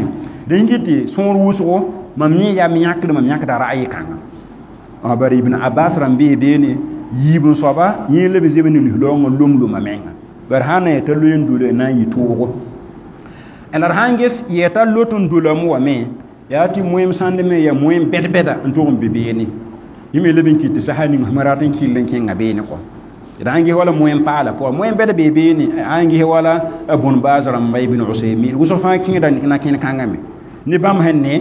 dẽn kɩ tɩ sõor wʋsgo mam yẽ yaa yãkd mam yãkda ra'ayɩ kãnga bari Ibn Abbas rãmb bee beene yiib n soaba yẽ leb n zems ne lislaoongã lom-loma menga bari sã n na t'a loe n dole na n yɩ toogo la d sã n ges yɛta lot n dolame wa me yaa tɩ moem sãnd me yaa moem bɛd-bɛda n tʋg n be beene yẽ me leb n kɩt tɩ sasa ning sẽm rat n kɩll n kẽnga beene kɔ d sã n ges wala moem paala pʋga moem bɛd bee beene sã n ges wala bõn baas rãmba Ibn Usaymin wʋsg fãa kẽeda na kẽn kãngã me ne bãmb sẽn ne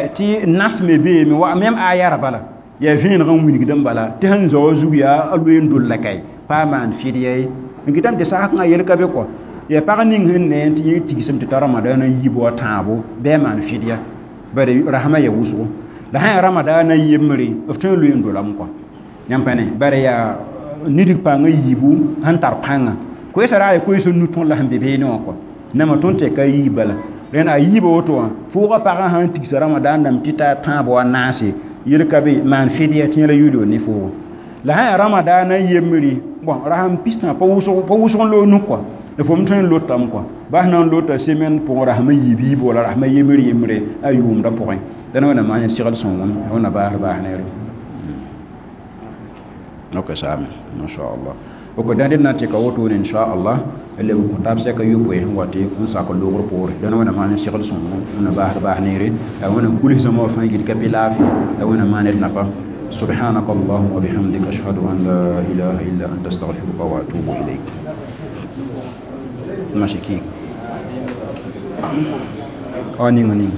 tɩ nas me beeme wa même aya bala yaa vẽeneg n wilgd n bala tɩ sẽn zao zug yaa a loe n dol la kae pa maan fɩdya ye n kɩtame tɩ sas kãngã yel ka be kɔ yaa pag ning sẽn ne tɩ yẽ tigsem tɩ ta Ramadaanã yiib wa tãabo bɩ a maan fɩdya bari rasmã yaa wʋsgo la sã yaa Ramadaanã yembre b tõe n loe n dolame kɔ yãmb pa ne bari yaa nidg pãngã yiibu sẽn tar pãnga koɛɛsã ra yaa koɛɛsã nu tõnd la sẽn be beene wã kɔ nama tõnd tɛka a yiib bala rẽnd a yiiba woto wã fʋʋga pagã sãn tigsa Ramadan dãmb tɩ ta tãab wa naase yel ka be maan fɩdya tɩ yẽla yʋl ne foogo la sã yaa Ramadaanã yembre bon rasem pistã pa wʋsg n loog nuk kɔ la fo m tõe n lotame kɔ bas na n lota semaine pʋgẽ rasmã yiib yiib wala rasmã yembre yembre a yʋʋmdã pʋgẽ dãn wẽnnaam maan segl sõngem wẽnna baasr baas neere ok saame inshallah ok dãn d na n tɩka wotone inshallah leb n kõ taab sɛka yopoe sẽn wa tɩ n sak logr poore dãn wẽnnaam maan segl sõngem wẽnna baasr baas neere la wẽnnaam kulsã wã fãa gil ka bɩ laafɩ la wẽnnaam maan d nafa سبحانك اللهم وبحمدك أشهد أن لا إله إلا أنت أستغفرك وأتوب إليك ماشي كي آه نين نين